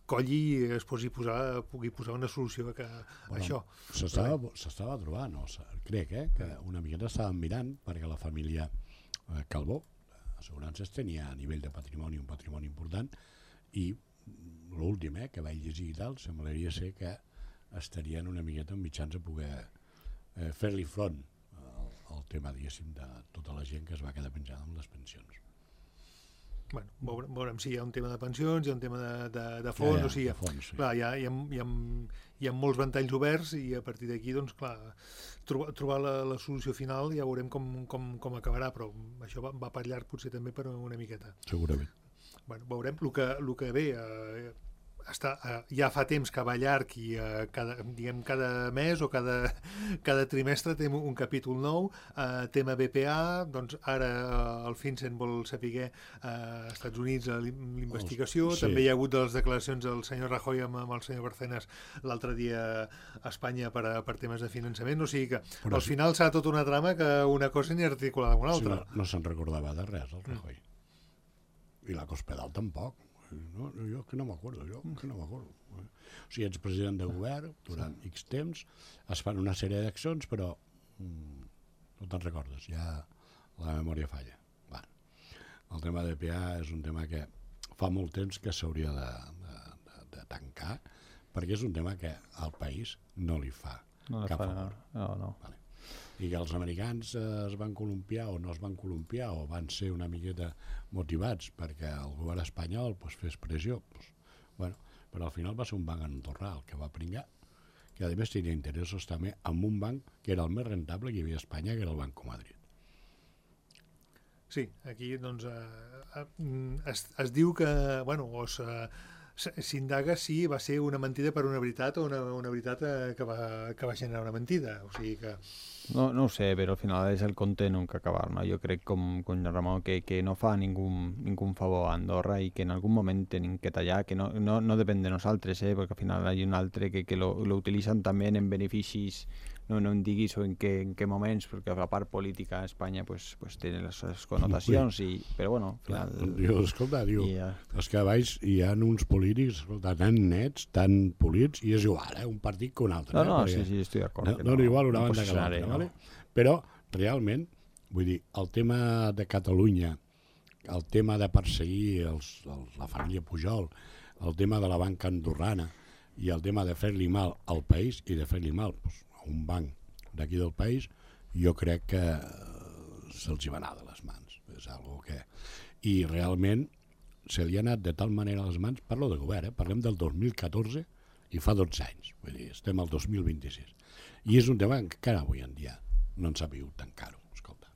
Speaker 2: colli i es posi posar, pugui posar una solució a, que, a bueno, això.
Speaker 4: S'estava trobant, no? Crec eh, que una miqueta estàvem mirant perquè la família eh, Calbó, assegurances, tenia a nivell de patrimoni un patrimoni important i l'últim eh, que vaig llegir i tal, semblaria ser que estarien una miqueta en mitjans a poder eh, fer-li front al, al tema, diguéssim, de tota la gent que es va quedar penjada amb les pensions.
Speaker 2: Bueno, veurem, veurem si hi ha un tema de pensions, hi ha un tema de, de, de fons, ja, ja, o sigui,
Speaker 4: de fons, sí.
Speaker 2: Clar, hi ha, hi, ha, hi, ha, hi ha molts ventalls oberts i a partir d'aquí, doncs, clar, trobar, trobar la, la solució final ja veurem com, com, com acabarà, però això va, va per llarg potser també per una miqueta.
Speaker 4: Segurament.
Speaker 2: Bueno, veurem el que, el que ve eh, està, eh, ja fa temps que va llarg i eh, cada, diguem, cada mes o cada, cada trimestre té un capítol nou, eh, tema B P A, doncs ara eh, el FinCEN vol saber eh, als Estats Units l'investigació,
Speaker 4: sí.
Speaker 2: També hi ha hagut de les declaracions del senyor Rajoy amb, amb el senyor Barcenas l'altre dia a Espanya per, per temes de finançament, o sigui que Però al sí. final serà tota una trama que una cosa ni articulada amb una altra.
Speaker 4: Sí, no no se'n recordava de res el Rajoy. Mm. I la Cospedal tampoc. No, jo que no m'acordo, jo que no m'acordo. O sigui, ets president de govern durant X temps, es fan una sèrie d'accions, però mm, no te'n recordes, ja la memòria falla. Va. El tema de P A és un tema que fa molt temps que s'hauria de, de, de, de tancar, perquè és un tema que al país no li fa
Speaker 3: no
Speaker 4: cap
Speaker 3: fa,
Speaker 4: favor.
Speaker 3: No, no.
Speaker 4: Vale. I que els americans es van columpiar o no es van columpiar o van ser una miqueta motivats perquè el govern espanyol pues, fes pressió. Pues, bueno, però al final va ser un banc andorrà el que va pringar, que a més tenia interessos també amb un banc que era el més rentable que hi havia a Espanya, que era el Banco Madrid.
Speaker 2: Sí, aquí doncs eh, es, es diu que, bueno, o s'indaga si va ser una mentida per una veritat o una, una veritat eh, que, va, que va generar una mentida, o sigui que...
Speaker 3: No, no ho sé, però al final és el conte nunca acabar, no? Jo crec, com, com Ramon, que, que no fa ningú, ningú favor a Andorra i que en algun moment tenim que tallar, que no, no, no depèn de nosaltres, eh? Perquè al final hi ha un altre que, que lo, lo utilitzen també en beneficis, no, no em diguis en què, en què moments, perquè la part política a Espanya pues, pues, té les seves connotacions, i, però bueno, al final...
Speaker 4: Diu, escolta, diu,
Speaker 3: ja...
Speaker 4: és que a baix hi ha uns polítics escolta, tan nets, tan polits, i és igual, eh? Un partit que un altre.
Speaker 3: No, no,
Speaker 4: eh?
Speaker 3: sí, sí, estic d'acord.
Speaker 4: No, no, no igual una
Speaker 3: no
Speaker 4: banda que l'altra,
Speaker 3: no.
Speaker 4: vale? Però realment, vull dir, el tema de Catalunya, el tema de perseguir els, els, la família Pujol, el tema de la banca andorrana i el tema de fer-li mal al país i de fer-li mal doncs, a un banc d'aquí del país, jo crec que se'ls hi va anar de les mans. És algo que... I realment se li ha anat de tal manera a les mans, parlo de govern, eh? Parlem del dos mil catorze i fa dotze anys, vull dir, estem al dos mil vint-i-sis. I és un tema que encara avui en dia no ens ha vingut tan caro, escolta.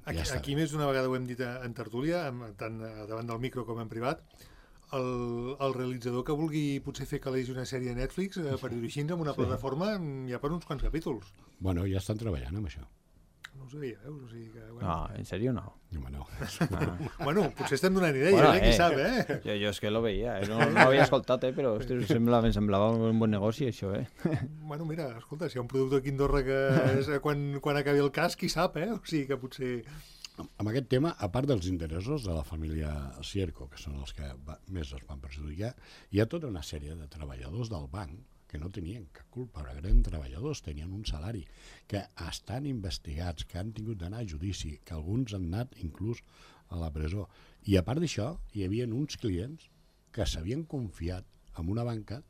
Speaker 2: Aquí, ja aquí més d'una vegada ho hem dit en tertúlia, tant davant del micro com en privat, el, el realitzador que vulgui potser fer que legui una sèrie a Netflix eh, per dir-ho així amb una sí. plataforma ja per uns quants capítols.
Speaker 4: Bueno, ja estan treballant amb això.
Speaker 2: No ho sabia, veus? O sigui que, bueno.
Speaker 3: No, en sèrio no.
Speaker 4: No, no.
Speaker 3: Ah.
Speaker 2: Bueno, potser estem donant idees,
Speaker 3: bueno,
Speaker 2: eh? Qui
Speaker 3: eh,
Speaker 2: sap, eh?
Speaker 3: Jo, jo és que lo veia, eh? no, no l'havia escoltat, eh? Però ostres, sembla, em semblava un bon negoci, això, eh?
Speaker 2: Bueno, mira, escolta, si hi ha un producte aquí a Andorra que és, quan, quan acabi el cas, qui sap, eh? O sigui que potser...
Speaker 4: Amb aquest tema, a part dels interessos de la família Cierco, que són els que va, més es van perjudicar, hi ha tota una sèrie de treballadors del banc que no tenien cap culpa, però eren treballadors, tenien un salari, que estan investigats, que han tingut d'anar a judici, que alguns han anat inclús a la presó. I a part d'això, hi havia uns clients que s'havien confiat en una banca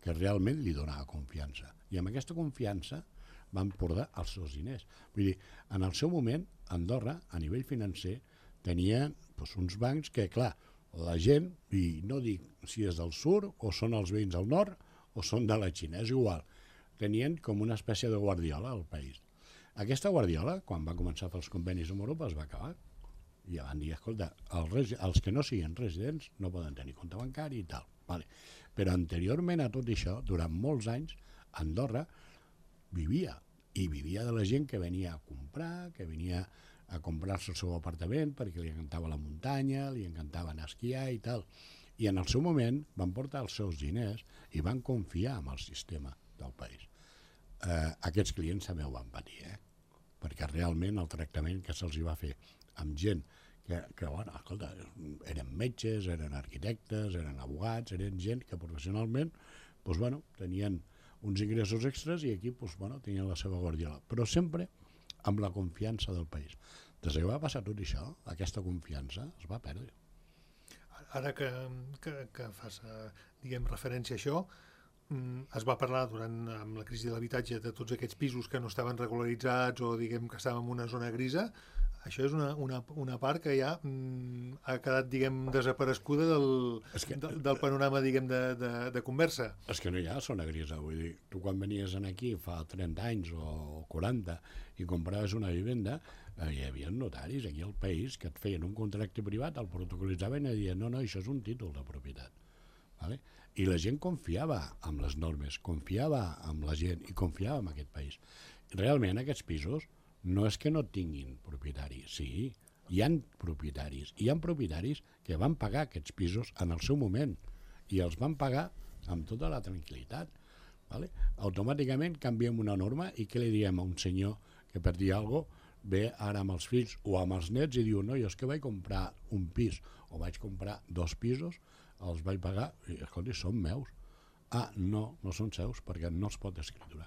Speaker 4: que realment li donava confiança. I amb aquesta confiança van portar els seus diners. Vull dir, en el seu moment, Andorra, a nivell financer, tenia doncs, uns bancs que, clar, la gent, i no dic si és del sud o són els veïns del nord o són de la Xina, és igual, tenien com una espècie de guardiola al país. Aquesta guardiola, quan va començar a fer els convenis amb Europa, es va acabar. I van dir, escolta, els, els que no siguin residents no poden tenir compte bancari i tal. Vale. Però anteriorment a tot això, durant molts anys, Andorra vivia, i vivia de la gent que venia a comprar, que venia a comprar-se el seu apartament perquè li encantava la muntanya, li encantava anar a esquiar i tal. I en el seu moment van portar els seus diners i van confiar en el sistema del país. Eh, aquests clients també ho van patir, eh? Perquè realment el tractament que se'ls va fer amb gent que, que bueno, escolta, eren metges, eren arquitectes, eren abogats, eren gent que professionalment doncs, bueno, tenien uns ingressos extras i aquí doncs, bueno, tenien la seva guardiola, però sempre amb la confiança del país. Des que va passar tot això, aquesta confiança es va perdre.
Speaker 2: Ara que, que, que fas, diguem, referència a això, es va parlar durant amb la crisi de l'habitatge de tots aquests pisos que no estaven regularitzats o diguem que estàvem en una zona grisa. Això és una, una, una part que ja mm, ha quedat, diguem, desaparescuda del, que, de, del panorama, diguem, de, de, de conversa.
Speaker 4: És que no hi ha zona grisa, vull dir, tu quan venies aquí fa trenta anys o quaranta i compraves una vivenda, eh, hi havia notaris aquí al país que et feien un contracte privat, el protocolitzaven i deien, no, no, això és un títol de propietat. Vale? I la gent confiava en les normes, confiava en la gent i confiava en aquest país. Realment aquests pisos no és que no tinguin propietaris, sí, hi ha propietaris, hi ha propietaris que van pagar aquests pisos en el seu moment i els van pagar amb tota la tranquil·litat. Vale? Automàticament canviem una norma i què li diem a un senyor que per dir alguna cosa ve ara amb els fills o amb els nets i diu, no, jo és que vaig comprar un pis o vaig comprar dos pisos, els vaig pagar i, escolta, són meus. Ah, no, no són seus perquè no es pot escriturar.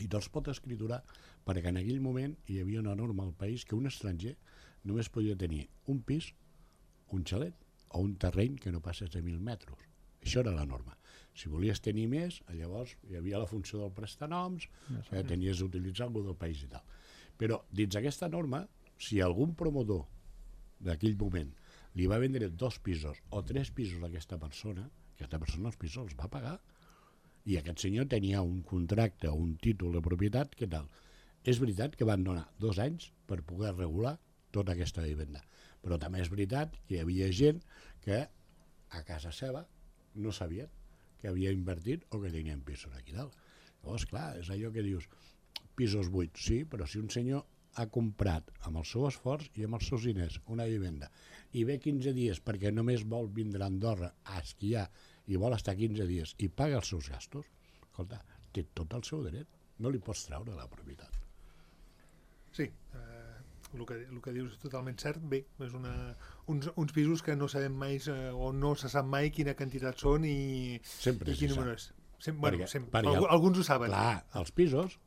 Speaker 4: I no es pot escriturar perquè en aquell moment hi havia una norma al país que un estranger només podia tenir un pis, un xalet o un terreny que no passés de mil metres. Això era la norma. Si volies tenir més, llavors hi havia la funció del prestanoms, que tenies d'utilitzar algú del país i tal. Però dins aquesta norma, si algun promotor d'aquell moment li va vendre dos pisos o tres pisos a aquesta persona, Aquesta persona els pisos els va pagar. I aquest senyor tenia un contracte o un títol de propietat que tal. És veritat que van donar dos anys per poder regular tota aquesta vivenda. Però també és veritat que hi havia gent que a casa seva no sabien que havia invertit o que tenien pisos aquí dalt. Llavors, clar, és allò que dius, pisos buits, sí, però si un senyor ha comprat amb el seu esforç i amb els seus diners una vivenda i ve quinze dies perquè només vol vindre a Andorra a esquiar i vol estar quinze dies i paga els seus gastos, escolta, té tot el seu dret, no li pots treure la propietat.
Speaker 2: Sí, eh, el, que, el que dius és totalment cert. Bé, és una, uns, uns pisos que no sabem mai eh, o no se sap mai quina quantitat són i,
Speaker 4: Sempre
Speaker 2: i quin número és. Sem, bueno,
Speaker 4: perquè,
Speaker 2: sempre,
Speaker 4: perquè,
Speaker 2: alg alguns ho saben.
Speaker 4: Clar, els pisos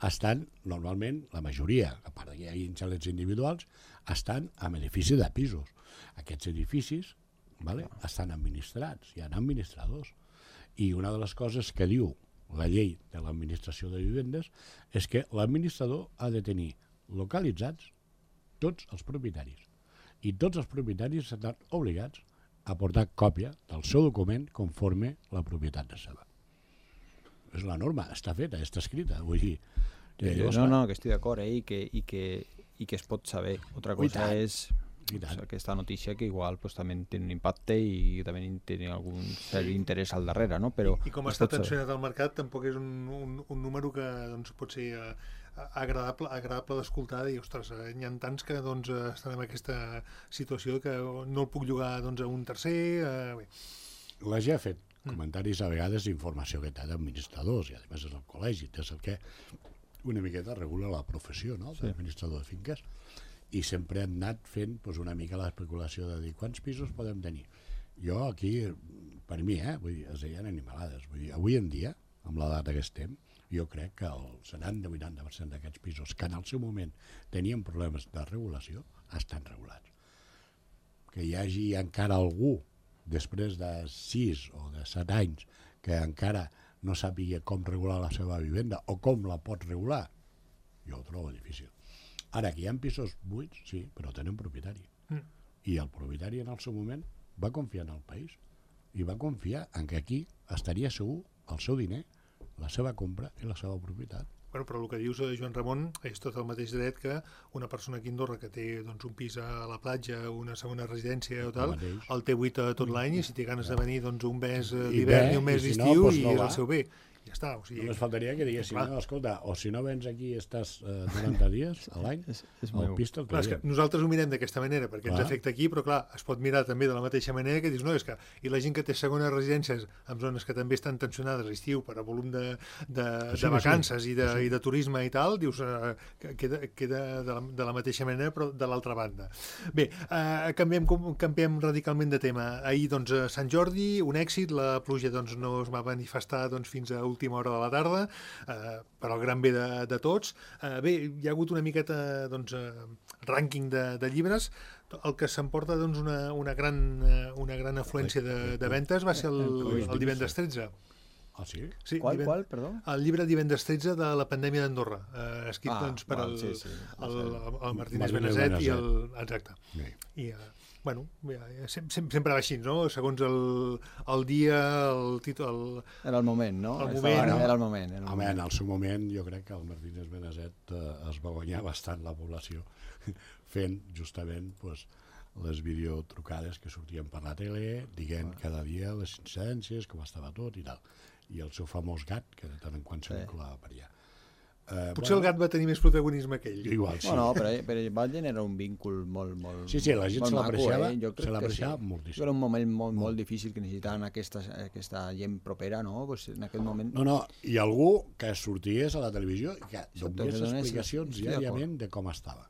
Speaker 4: estan, normalment, la majoria, a part que hi ha xalets individuals, estan en edifici de pisos. Aquests edificis, vale, estan administrats, hi ha administradors. I una de les coses que diu la llei de l'administració de vivendes és que l'administrador ha de tenir localitzats tots els propietaris. I tots els propietaris estan obligats a portar còpia del seu document conforme la propietat de seva. És la norma, està feta, està escrita, vull dir...
Speaker 3: Eh, no, no, que estic d'acord, eh, i, que, i, que, i que es pot saber. Otra cosa és pues, aquesta notícia que igual pues, també té un impacte i també té algun cert interès al darrere, no? Però
Speaker 2: I, i com està tensionat el mercat, tampoc és un, un, un número que doncs, pot ser uh, agradable, agradable d'escoltar i, ostres, uh, n'hi ha tants que doncs, uh, estan en aquesta situació que no el puc llogar doncs, a un tercer... Uh, bé.
Speaker 4: La G ha fet comentaris a vegades d'informació que té d'administradors i a més és el col·legi, és el que una miqueta regula la professió, no?, sí, d'administrador de finques, i sempre han anat fent pues, una mica l'especulació de dir quants pisos podem tenir. Jo aquí, per mi, eh, vull dir, es deien animalades. Vull dir, avui en dia, amb la data que estem, jo crec que el setanta vuitanta per cent d'aquests pisos que en el seu moment tenien problemes de regulació estan regulats. Que hi hagi encara algú després de sis o de set anys que encara no sàpiga com regular la seva vivenda o com la pot regular, jo ho trobo difícil. Ara, que hi ha pisos buits, sí, però tenen propietari. Mm. I el propietari en el seu moment va confiar en el país i va confiar en que aquí estaria segur el seu diner, la seva compra i la seva propietat.
Speaker 2: Bueno, però el que dius, Joan Ramon, és tot el mateix dret que una persona aquí a Andorra que té doncs, un pis a la platja, una segona residència o tal, el, el té buit tot l'any i si té ganes de venir doncs, un mes d'hivern i un mes d'estiu i, no, i és el seu bé. Ja està, o sigui...
Speaker 4: Només faltaria que diguessin, no, escolta, o si no vens aquí estàs eh, noranta dies a l'any, el pis te'l traiem.
Speaker 2: Nosaltres ho mirem d'aquesta manera, perquè clar, ens afecta aquí, però clar, es pot mirar també de la mateixa manera que dius, no, és que... I la gent que té segones residències en zones que també estan tensionades a l'estiu per a volum de, de, sí, de vacances sí, i, de, sí. i de turisme i tal, dius, eh, que queda, queda de, la, de la mateixa manera, però de l'altra banda. Bé, eh, canviem, canviem radicalment de tema. Ahir, doncs, a Sant Jordi, un èxit, la pluja doncs, no es va manifestar doncs, fins a última hora de la tarda, eh, per al gran bé de, de tots. Eh, bé, hi ha hagut una miqueta doncs, eh, rànquing de, de llibres. El que s'emporta doncs, una, una, gran, una gran afluència de, de ventes va ser el, el divendres tretze.
Speaker 4: Ah, sí?
Speaker 2: Sí,
Speaker 3: qual, qual, perdó?
Speaker 2: El llibre divendres tretze de la pandèmia d'Andorra, eh, escrit ah, doncs, per val, el, sí, sí. el, el, el Martínez Benazet i el... Exacte. Sí. I, eh, bueno, sempre, sempre va així, no? Segons el, el dia, el títol... El...
Speaker 3: Era el moment, no?
Speaker 2: El moment,
Speaker 3: no? Era el moment. Era el
Speaker 4: moment. Home, en el seu moment jo crec que el Martínez Benazet eh, es va guanyar bastant la població fent justament pues, les videotrucades que sortien per la tele, dient ah. cada dia les incidències, com estava tot i tal. I el seu famós gat, que de tant en quant se vinculava per allà.
Speaker 2: Uh, Potser bueno, el gat va tenir més protagonisme que ell.
Speaker 4: Igual, sí.
Speaker 3: Bueno, però, però Balden era un vincul molt, molt
Speaker 4: Sí, sí, la gent se l'apreciava
Speaker 3: eh?
Speaker 4: se l'apreciava sí. moltíssim.
Speaker 3: Era un moment molt, molt difícil que necessitaven aquesta, aquesta gent propera, no? Pues en aquest moment...
Speaker 4: No, no, i algú que sorties a la televisió i que donés explicacions diàriament de com estava.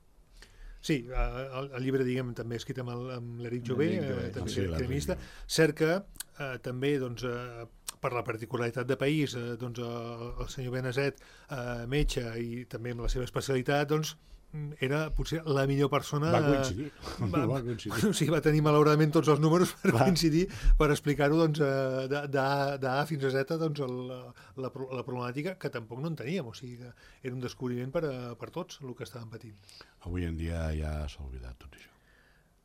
Speaker 2: Sí, el, el llibre, diguem, també escrit amb l'Eric Jové, eh, també sí, crimista. Cert que eh, també, doncs, eh, per la particularitat de país, eh, doncs, el, el senyor Benazet, eh, metge, i també amb la seva especialitat, doncs, era potser la millor persona...
Speaker 4: Va coincidir.
Speaker 2: Va,
Speaker 4: va, coincidir.
Speaker 2: O sigui, va tenir malauradament tots els números per va. coincidir, per explicar-ho doncs, d'A fins a Z doncs, el, la, la problemàtica que tampoc no en teníem. O sigui, que era un descobriment per, a, per tots el que estàvem patint.
Speaker 4: Avui en dia ja s'ha oblidat tot això.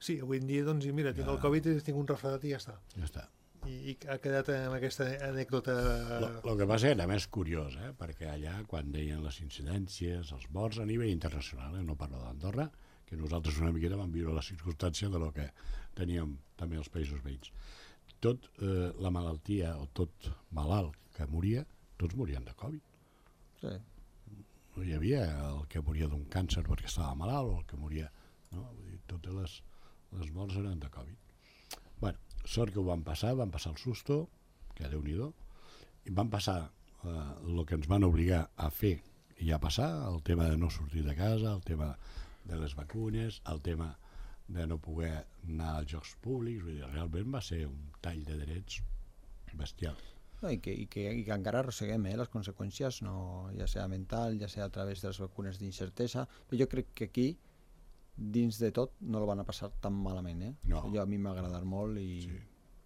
Speaker 2: Sí, avui en dia, doncs, mira, tinc ja. el Covid, tinc un refredat i ja està.
Speaker 4: Ja està.
Speaker 2: i ha quedat amb aquesta anècdota...
Speaker 4: El que passa era més curiós, eh? Perquè allà, quan deien les incidències, els morts a nivell internacional, eh? No parlo d'Andorra, que nosaltres una miqueta vam viure la circumstància de lo que teníem també els països veïns. Tot eh, la malaltia, o tot malalt que moria, tots morien de Covid.
Speaker 3: Sí.
Speaker 4: No hi havia el que moria d'un càncer perquè estava malalt, o el que moria... No? Vull dir, totes les, les morts eren de Covid. Bueno, sort que ho van passar, van passar el susto, que Déu-n'hi-do, i van passar eh, el que ens van obligar a fer i a passar, el tema de no sortir de casa, el tema de les vacunes, el tema de no poder anar als jocs públics, vull dir, realment va ser un tall de drets bestial.
Speaker 3: No, i, que, i, que, i que encara arrosseguem eh, les conseqüències, no, ja sigui mental, ja sigui a través de les vacunes d'incertesa, però jo crec que aquí, dins de tot, no el van a passar tan malament. Eh?
Speaker 4: No.
Speaker 3: Jo, a mi m'ha agradat molt i
Speaker 4: Sí.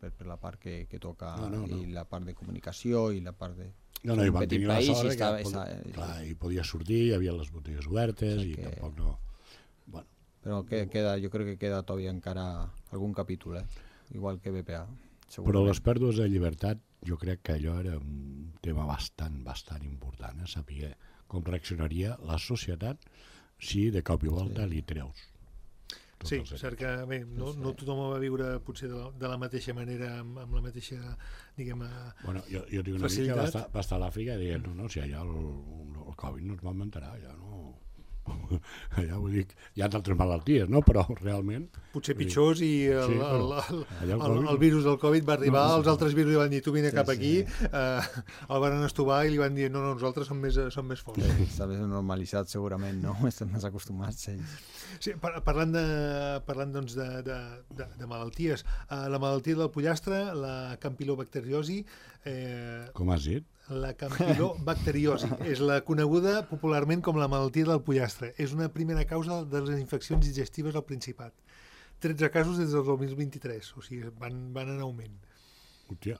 Speaker 3: per, per la part que, que toca
Speaker 4: No, no, no.
Speaker 3: i la part de comunicació i la part de...
Speaker 4: No, no, i
Speaker 3: un
Speaker 4: vam
Speaker 3: petit
Speaker 4: tenir la
Speaker 3: país
Speaker 4: sort
Speaker 3: i
Speaker 4: que
Speaker 3: estava,
Speaker 4: pod...
Speaker 3: estava,
Speaker 4: clar, i podia sortir, hi havia les botigues obertes
Speaker 3: Sí,
Speaker 4: i
Speaker 3: que-
Speaker 4: tampoc no... Bueno,
Speaker 3: però que, queda, jo crec que queda todavía encara algun capítol, eh? Igual que B P A.
Speaker 4: però les pèrdues de llibertat jo crec que allò era un tema bastant, bastant important, eh? Saber com reaccionaria la societat si de cop i volta
Speaker 3: Sí.
Speaker 4: li treus. tots
Speaker 2: Sí,
Speaker 4: els
Speaker 2: cert que bé, no, no tothom ho va viure potser de la, de la mateixa manera, amb, amb la mateixa, diguem... eh,
Speaker 4: Bueno, jo, jo tinc una
Speaker 2: Facilitat.
Speaker 4: amic que va estar, va estar a l'Àfrica i deia, no, no, si allà el, el Covid no ens va mentarà, allà no... allà vull dir, hi ha d'altres malalties, no? Però realment...
Speaker 2: potser
Speaker 4: vull dir,
Speaker 2: pitjors i el,
Speaker 4: Sí,
Speaker 2: el,
Speaker 4: però
Speaker 2: el,
Speaker 4: allà el
Speaker 2: el,
Speaker 4: Covid-
Speaker 2: el virus del Covid va arribar,
Speaker 4: No, no,
Speaker 2: els altres virus li van dir tu vine
Speaker 3: Sí,
Speaker 2: cap
Speaker 3: sí.
Speaker 2: aquí, eh, el van estovar i li van dir no, no, nosaltres som més, som més forts.
Speaker 3: Està més normalitzat segurament, no? Estan més acostumats ells.
Speaker 2: Sí, par parlant de, parlant doncs de, de, de, de malalties, eh, la malaltia del pollastre, la campilobacteriosi, eh,
Speaker 4: Com has dit?
Speaker 2: la campilobacteriosi és la coneguda popularment com la malaltia del pollastre. És una primera causa de les infeccions digestives al Principat. tretze casos des del dos mil vint-i-tres, o sigui, van, van en augment.
Speaker 4: Hòstia,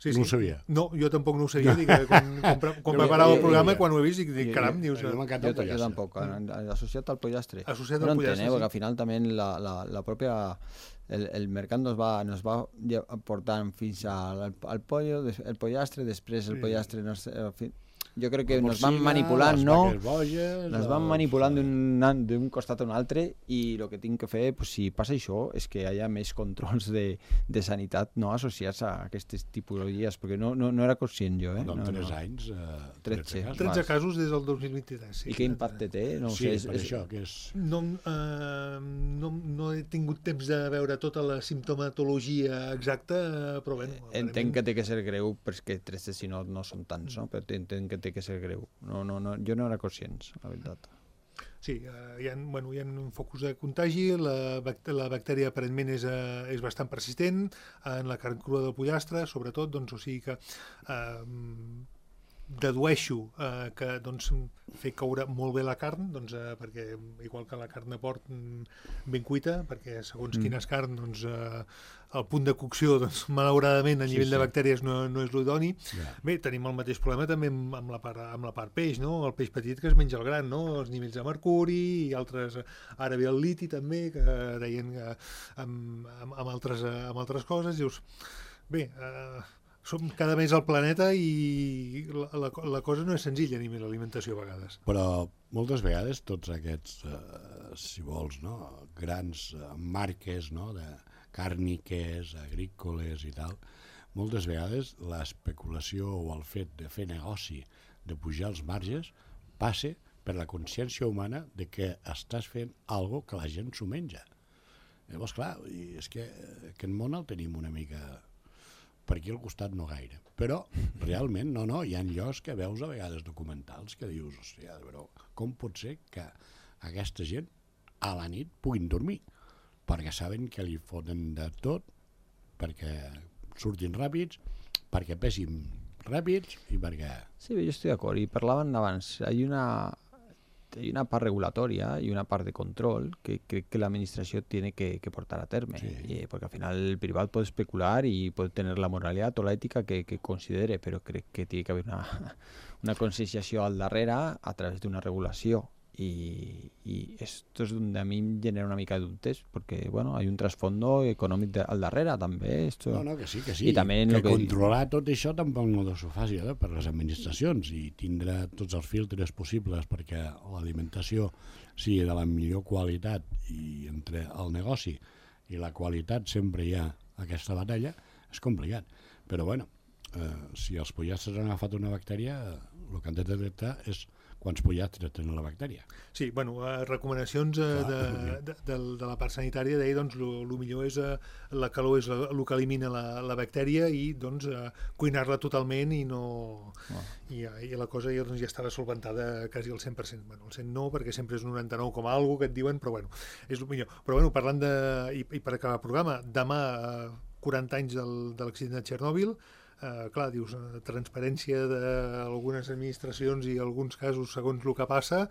Speaker 2: Sí,
Speaker 4: no
Speaker 2: sí.
Speaker 4: ho sabia.
Speaker 2: No, jo tampoc no ho sabia. Dic, que quan, quan, pre- quan
Speaker 4: Jo-
Speaker 2: preparava
Speaker 4: jo-
Speaker 2: el programa,
Speaker 4: jo-
Speaker 2: quan ho he vist, dic, dic
Speaker 3: jo-
Speaker 2: caram, dius...
Speaker 4: Jo
Speaker 2: eh,
Speaker 4: m'encanta
Speaker 3: Jo,
Speaker 4: el
Speaker 3: jo
Speaker 4: pollastre.
Speaker 3: tampoc, a- associat al pollastre.
Speaker 2: Associat
Speaker 3: no
Speaker 2: al
Speaker 3: entenc,
Speaker 2: pollastre,
Speaker 3: eh,
Speaker 2: sí.
Speaker 3: perquè al final també la, la, la pròpia el, el mercat nos va, nos va lle- portant fins al, al pollo, des- el pollastre, després el
Speaker 2: Sí.
Speaker 3: pollastre nos, en fi, jo crec que
Speaker 4: La
Speaker 3: nos van
Speaker 4: porcina,
Speaker 3: manipulant,
Speaker 4: les
Speaker 3: no?
Speaker 4: vaques boges,
Speaker 3: Nos van
Speaker 4: els-
Speaker 3: manipulant d'un d'un costat a un altre i el que tinc que fer, pues, si passa això, és que hi hagi més controls de, de sanitat no associats a aquestes tipologies, perquè no, no, no era conscient jo. Eh?
Speaker 4: No,
Speaker 3: No,
Speaker 4: en tres
Speaker 3: no.
Speaker 4: anys, eh,
Speaker 3: tretze.
Speaker 4: tretze casos.
Speaker 2: tretze
Speaker 3: Vas.
Speaker 2: casos des del dos mil vint-i-tres. Sí.
Speaker 3: I què impacte té? No ho
Speaker 4: Sí,
Speaker 3: sé, és,
Speaker 4: per
Speaker 3: és,
Speaker 4: això, que és...
Speaker 2: No, eh, no, no he tingut temps de veure tota la simptomatologia exacta, eh, però bueno...
Speaker 3: Entenc que té que ser greu, perquè tretze si no, no són tants, no? Però entenc que té que ser greu. No, no, no, jo no era conscient, la veritat.
Speaker 2: Sí, eh, hi ha, bueno, hi ha focus de contagi, la, bac la bactèria aparentment és, eh, és bastant persistent en la carn crua del pollastre, sobretot, doncs, o sigui que eh, dedueixo eh, que doncs, fer caure molt bé la carn, doncs, eh, perquè igual que la carn de porc mm, ben cuita, perquè segons
Speaker 3: Mm.
Speaker 2: quina és carn, doncs, eh, el punt de cocció, doncs, malauradament, a
Speaker 4: Sí,
Speaker 2: nivell
Speaker 4: sí.
Speaker 2: de bactèries no, no és l'idoni.
Speaker 4: Ja.
Speaker 2: Bé, tenim el mateix problema també amb, amb, la part, amb la part peix, no? El peix petit que es menja el gran, no? Els nivells de mercuri i altres... Ara ve el liti també, que deien que amb, amb, amb, altres, eh, amb altres coses. Dius, bé, eh, som cada mes al planeta i la, la, la cosa no és senzilla a nivell d'alimentació a vegades.
Speaker 4: Però moltes vegades tots aquests, eh, si vols, no? grans eh, marques no? de càrniques, agrícoles i tal, moltes vegades l'especulació o el fet de fer negoci, de pujar els marges, passa per la consciència humana de que estàs fent algo que la gent s'ho menja. Llavors, clar, i és que aquest món el tenim una mica per aquí al costat no gaire. Però, realment, no, no, hi ha llocs que veus a vegades documentals que dius, hòstia, però com pot ser que aquesta gent a la nit puguin dormir? Perquè saben que li foten de tot, perquè surtin ràpids, perquè pesin ràpids i perquè...
Speaker 3: Sí, jo estic d'acord. I parlaven abans, hi ha una, hay una part regulatoria y una parte de control que creo que la administración tiene que, que portar a terme.
Speaker 4: Sí.
Speaker 3: Y, porque al final el privado puede especular y puede tener la moralidad o la ética que, que considere, pero creo que tiene que haber una, una concienciació al darrere a través d'una regulació y, y esto es donde a mí me genera una mica de dubtes, porque bueno, hay un trasfondo econòmic de, al darrere també. Esto...
Speaker 4: No, no, que sí, que sí.
Speaker 3: I també
Speaker 4: que,
Speaker 3: lo que
Speaker 4: controlar tot això tampoc no deu ser fàcil eh, per les administracions i tindre tots els filtres possibles perquè l'alimentació sigui de la millor qualitat i entre el negoci i la qualitat sempre hi ha aquesta batalla, és complicat. Però bueno, eh, si els pollastres han agafat una bactèria, el que han de detectar és quants pollastres tenen la bactèria.
Speaker 2: Sí, bueno, eh, recomanacions eh,
Speaker 4: Clar,
Speaker 2: de, de, de, de la part sanitària deia, doncs, el millor és eh, la calor és el que elimina la, la bactèria i, doncs, eh, cuinar-la totalment i no... Oh. I, I la cosa ja, doncs, ja estava solventada quasi al cent per cent. Bueno, al cent no, perquè sempre és un noranta-nou com a algo que et diuen, però bueno, és el millor. Però bueno, parlant de... I, i per acabar el programa, demà, eh, quaranta anys del, de l'accident de Txernòbil. Uh, clar, dius, uh, transparència d'algunes administracions i alguns casos segons el que passa,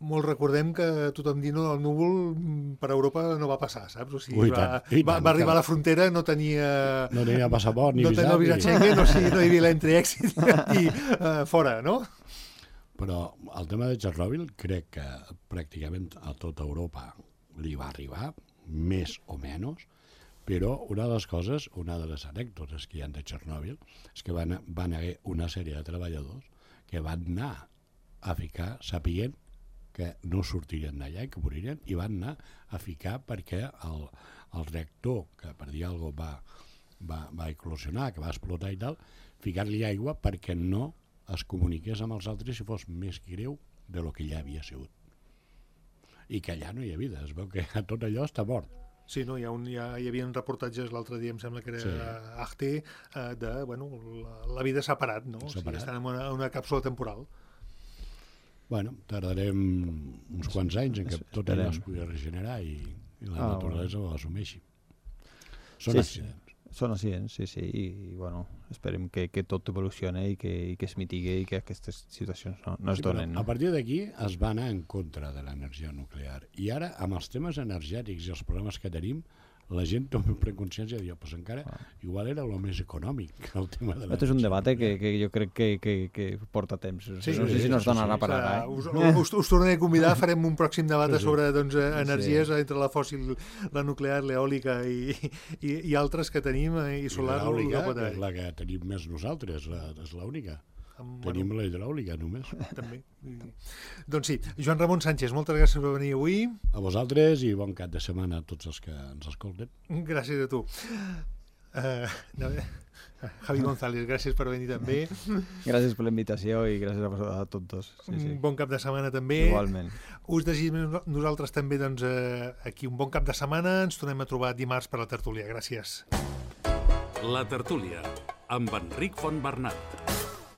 Speaker 2: molt recordem que tothom diu no, el núvol per Europa no va passar, saps? O sigui,
Speaker 4: Ui,
Speaker 2: va,
Speaker 4: tant,
Speaker 2: va,
Speaker 4: tant,
Speaker 2: va arribar
Speaker 4: tant.
Speaker 2: a la frontera, no tenia...
Speaker 4: No tenia passaport ni
Speaker 2: no
Speaker 4: visat.
Speaker 2: No tenia visat Schengen, o sigui, no hi havia l'entre-èxit i uh, fora, no?
Speaker 4: Però el tema de Txernòbil crec que pràcticament a tota Europa li va arribar, més o menys, però una de les coses, una de les anècdotes que hi ha de Txernòbil és que van, van haver una sèrie de treballadors que van anar a ficar, sapient que no sortirien d'allà i que moririen, i van anar a ficar perquè el, el reactor, que per dir alguna cosa va, va, va eclosionar, que va explotar i tal, ficar-li aigua perquè no es comuniqués amb els altres si fos més greu de lo que ja havia sigut. I que allà no hi ha vida, es veu que tot allò està mort.
Speaker 2: Sí, no, hi, ha un, hi, ha, hi havia reportatges l'altre dia, em sembla que era sí. Arte, eh, de, bueno, la, la vida s'ha parat, no?
Speaker 4: S'ha
Speaker 2: o sigui,
Speaker 4: parat.
Speaker 2: estan en una, una càpsula temporal.
Speaker 4: Bueno, tardarem uns quants anys en què tot allò es pugui regenerar i, i la ah, naturalesa bueno. ho assumeixi. Són
Speaker 3: sí,
Speaker 4: accidents.
Speaker 3: Sí. Són accidents, sí, sí, i, i bueno, esperem que, que tot evolucione i que, i que es mitigui i que aquestes situacions no, no es
Speaker 4: sí,
Speaker 3: donen. No?
Speaker 4: A partir d'aquí es va anar en contra de l'energia nuclear i ara, amb els temes energètics i els problemes que tenim, la gent toma preconsciència i diu, pues encara ah. igual era el més econòmic el tema de
Speaker 3: Aquest és un debat que, que jo crec que, que, que porta temps.
Speaker 2: Sí,
Speaker 3: no sé
Speaker 2: sí,
Speaker 3: si no es donarà
Speaker 2: sí, sí.
Speaker 3: per ara.
Speaker 2: Eh? Us, us, us tornaré a convidar, farem un pròxim debat sí, sí. sobre doncs, energies sí. entre la fòssil, la nuclear, l'eòlica i, i, i altres que tenim, i solar.
Speaker 4: I l'eòlica, que és la que tenim més nosaltres, la, és l'única. Amb, Tenim bueno, la hidràulica només.
Speaker 2: També. Doncs sí, Joan Ramon Sánchez, moltes gràcies per venir avui.
Speaker 4: A vosaltres i bon cap de setmana a tots els que ens escolten.
Speaker 2: Gràcies a tu. Uh, no, Javi González, gràcies per venir també.
Speaker 3: Gràcies per la invitació i gràcies a, a tots dos. Sí, sí.
Speaker 2: Bon cap de setmana també.
Speaker 3: Igualment.
Speaker 2: Us desitgem nosaltres també doncs, uh, aquí un bon cap de setmana. Ens tornem a trobar dimarts per la tertúlia. Gràcies.
Speaker 1: La tertúlia amb Enric Fontbernat.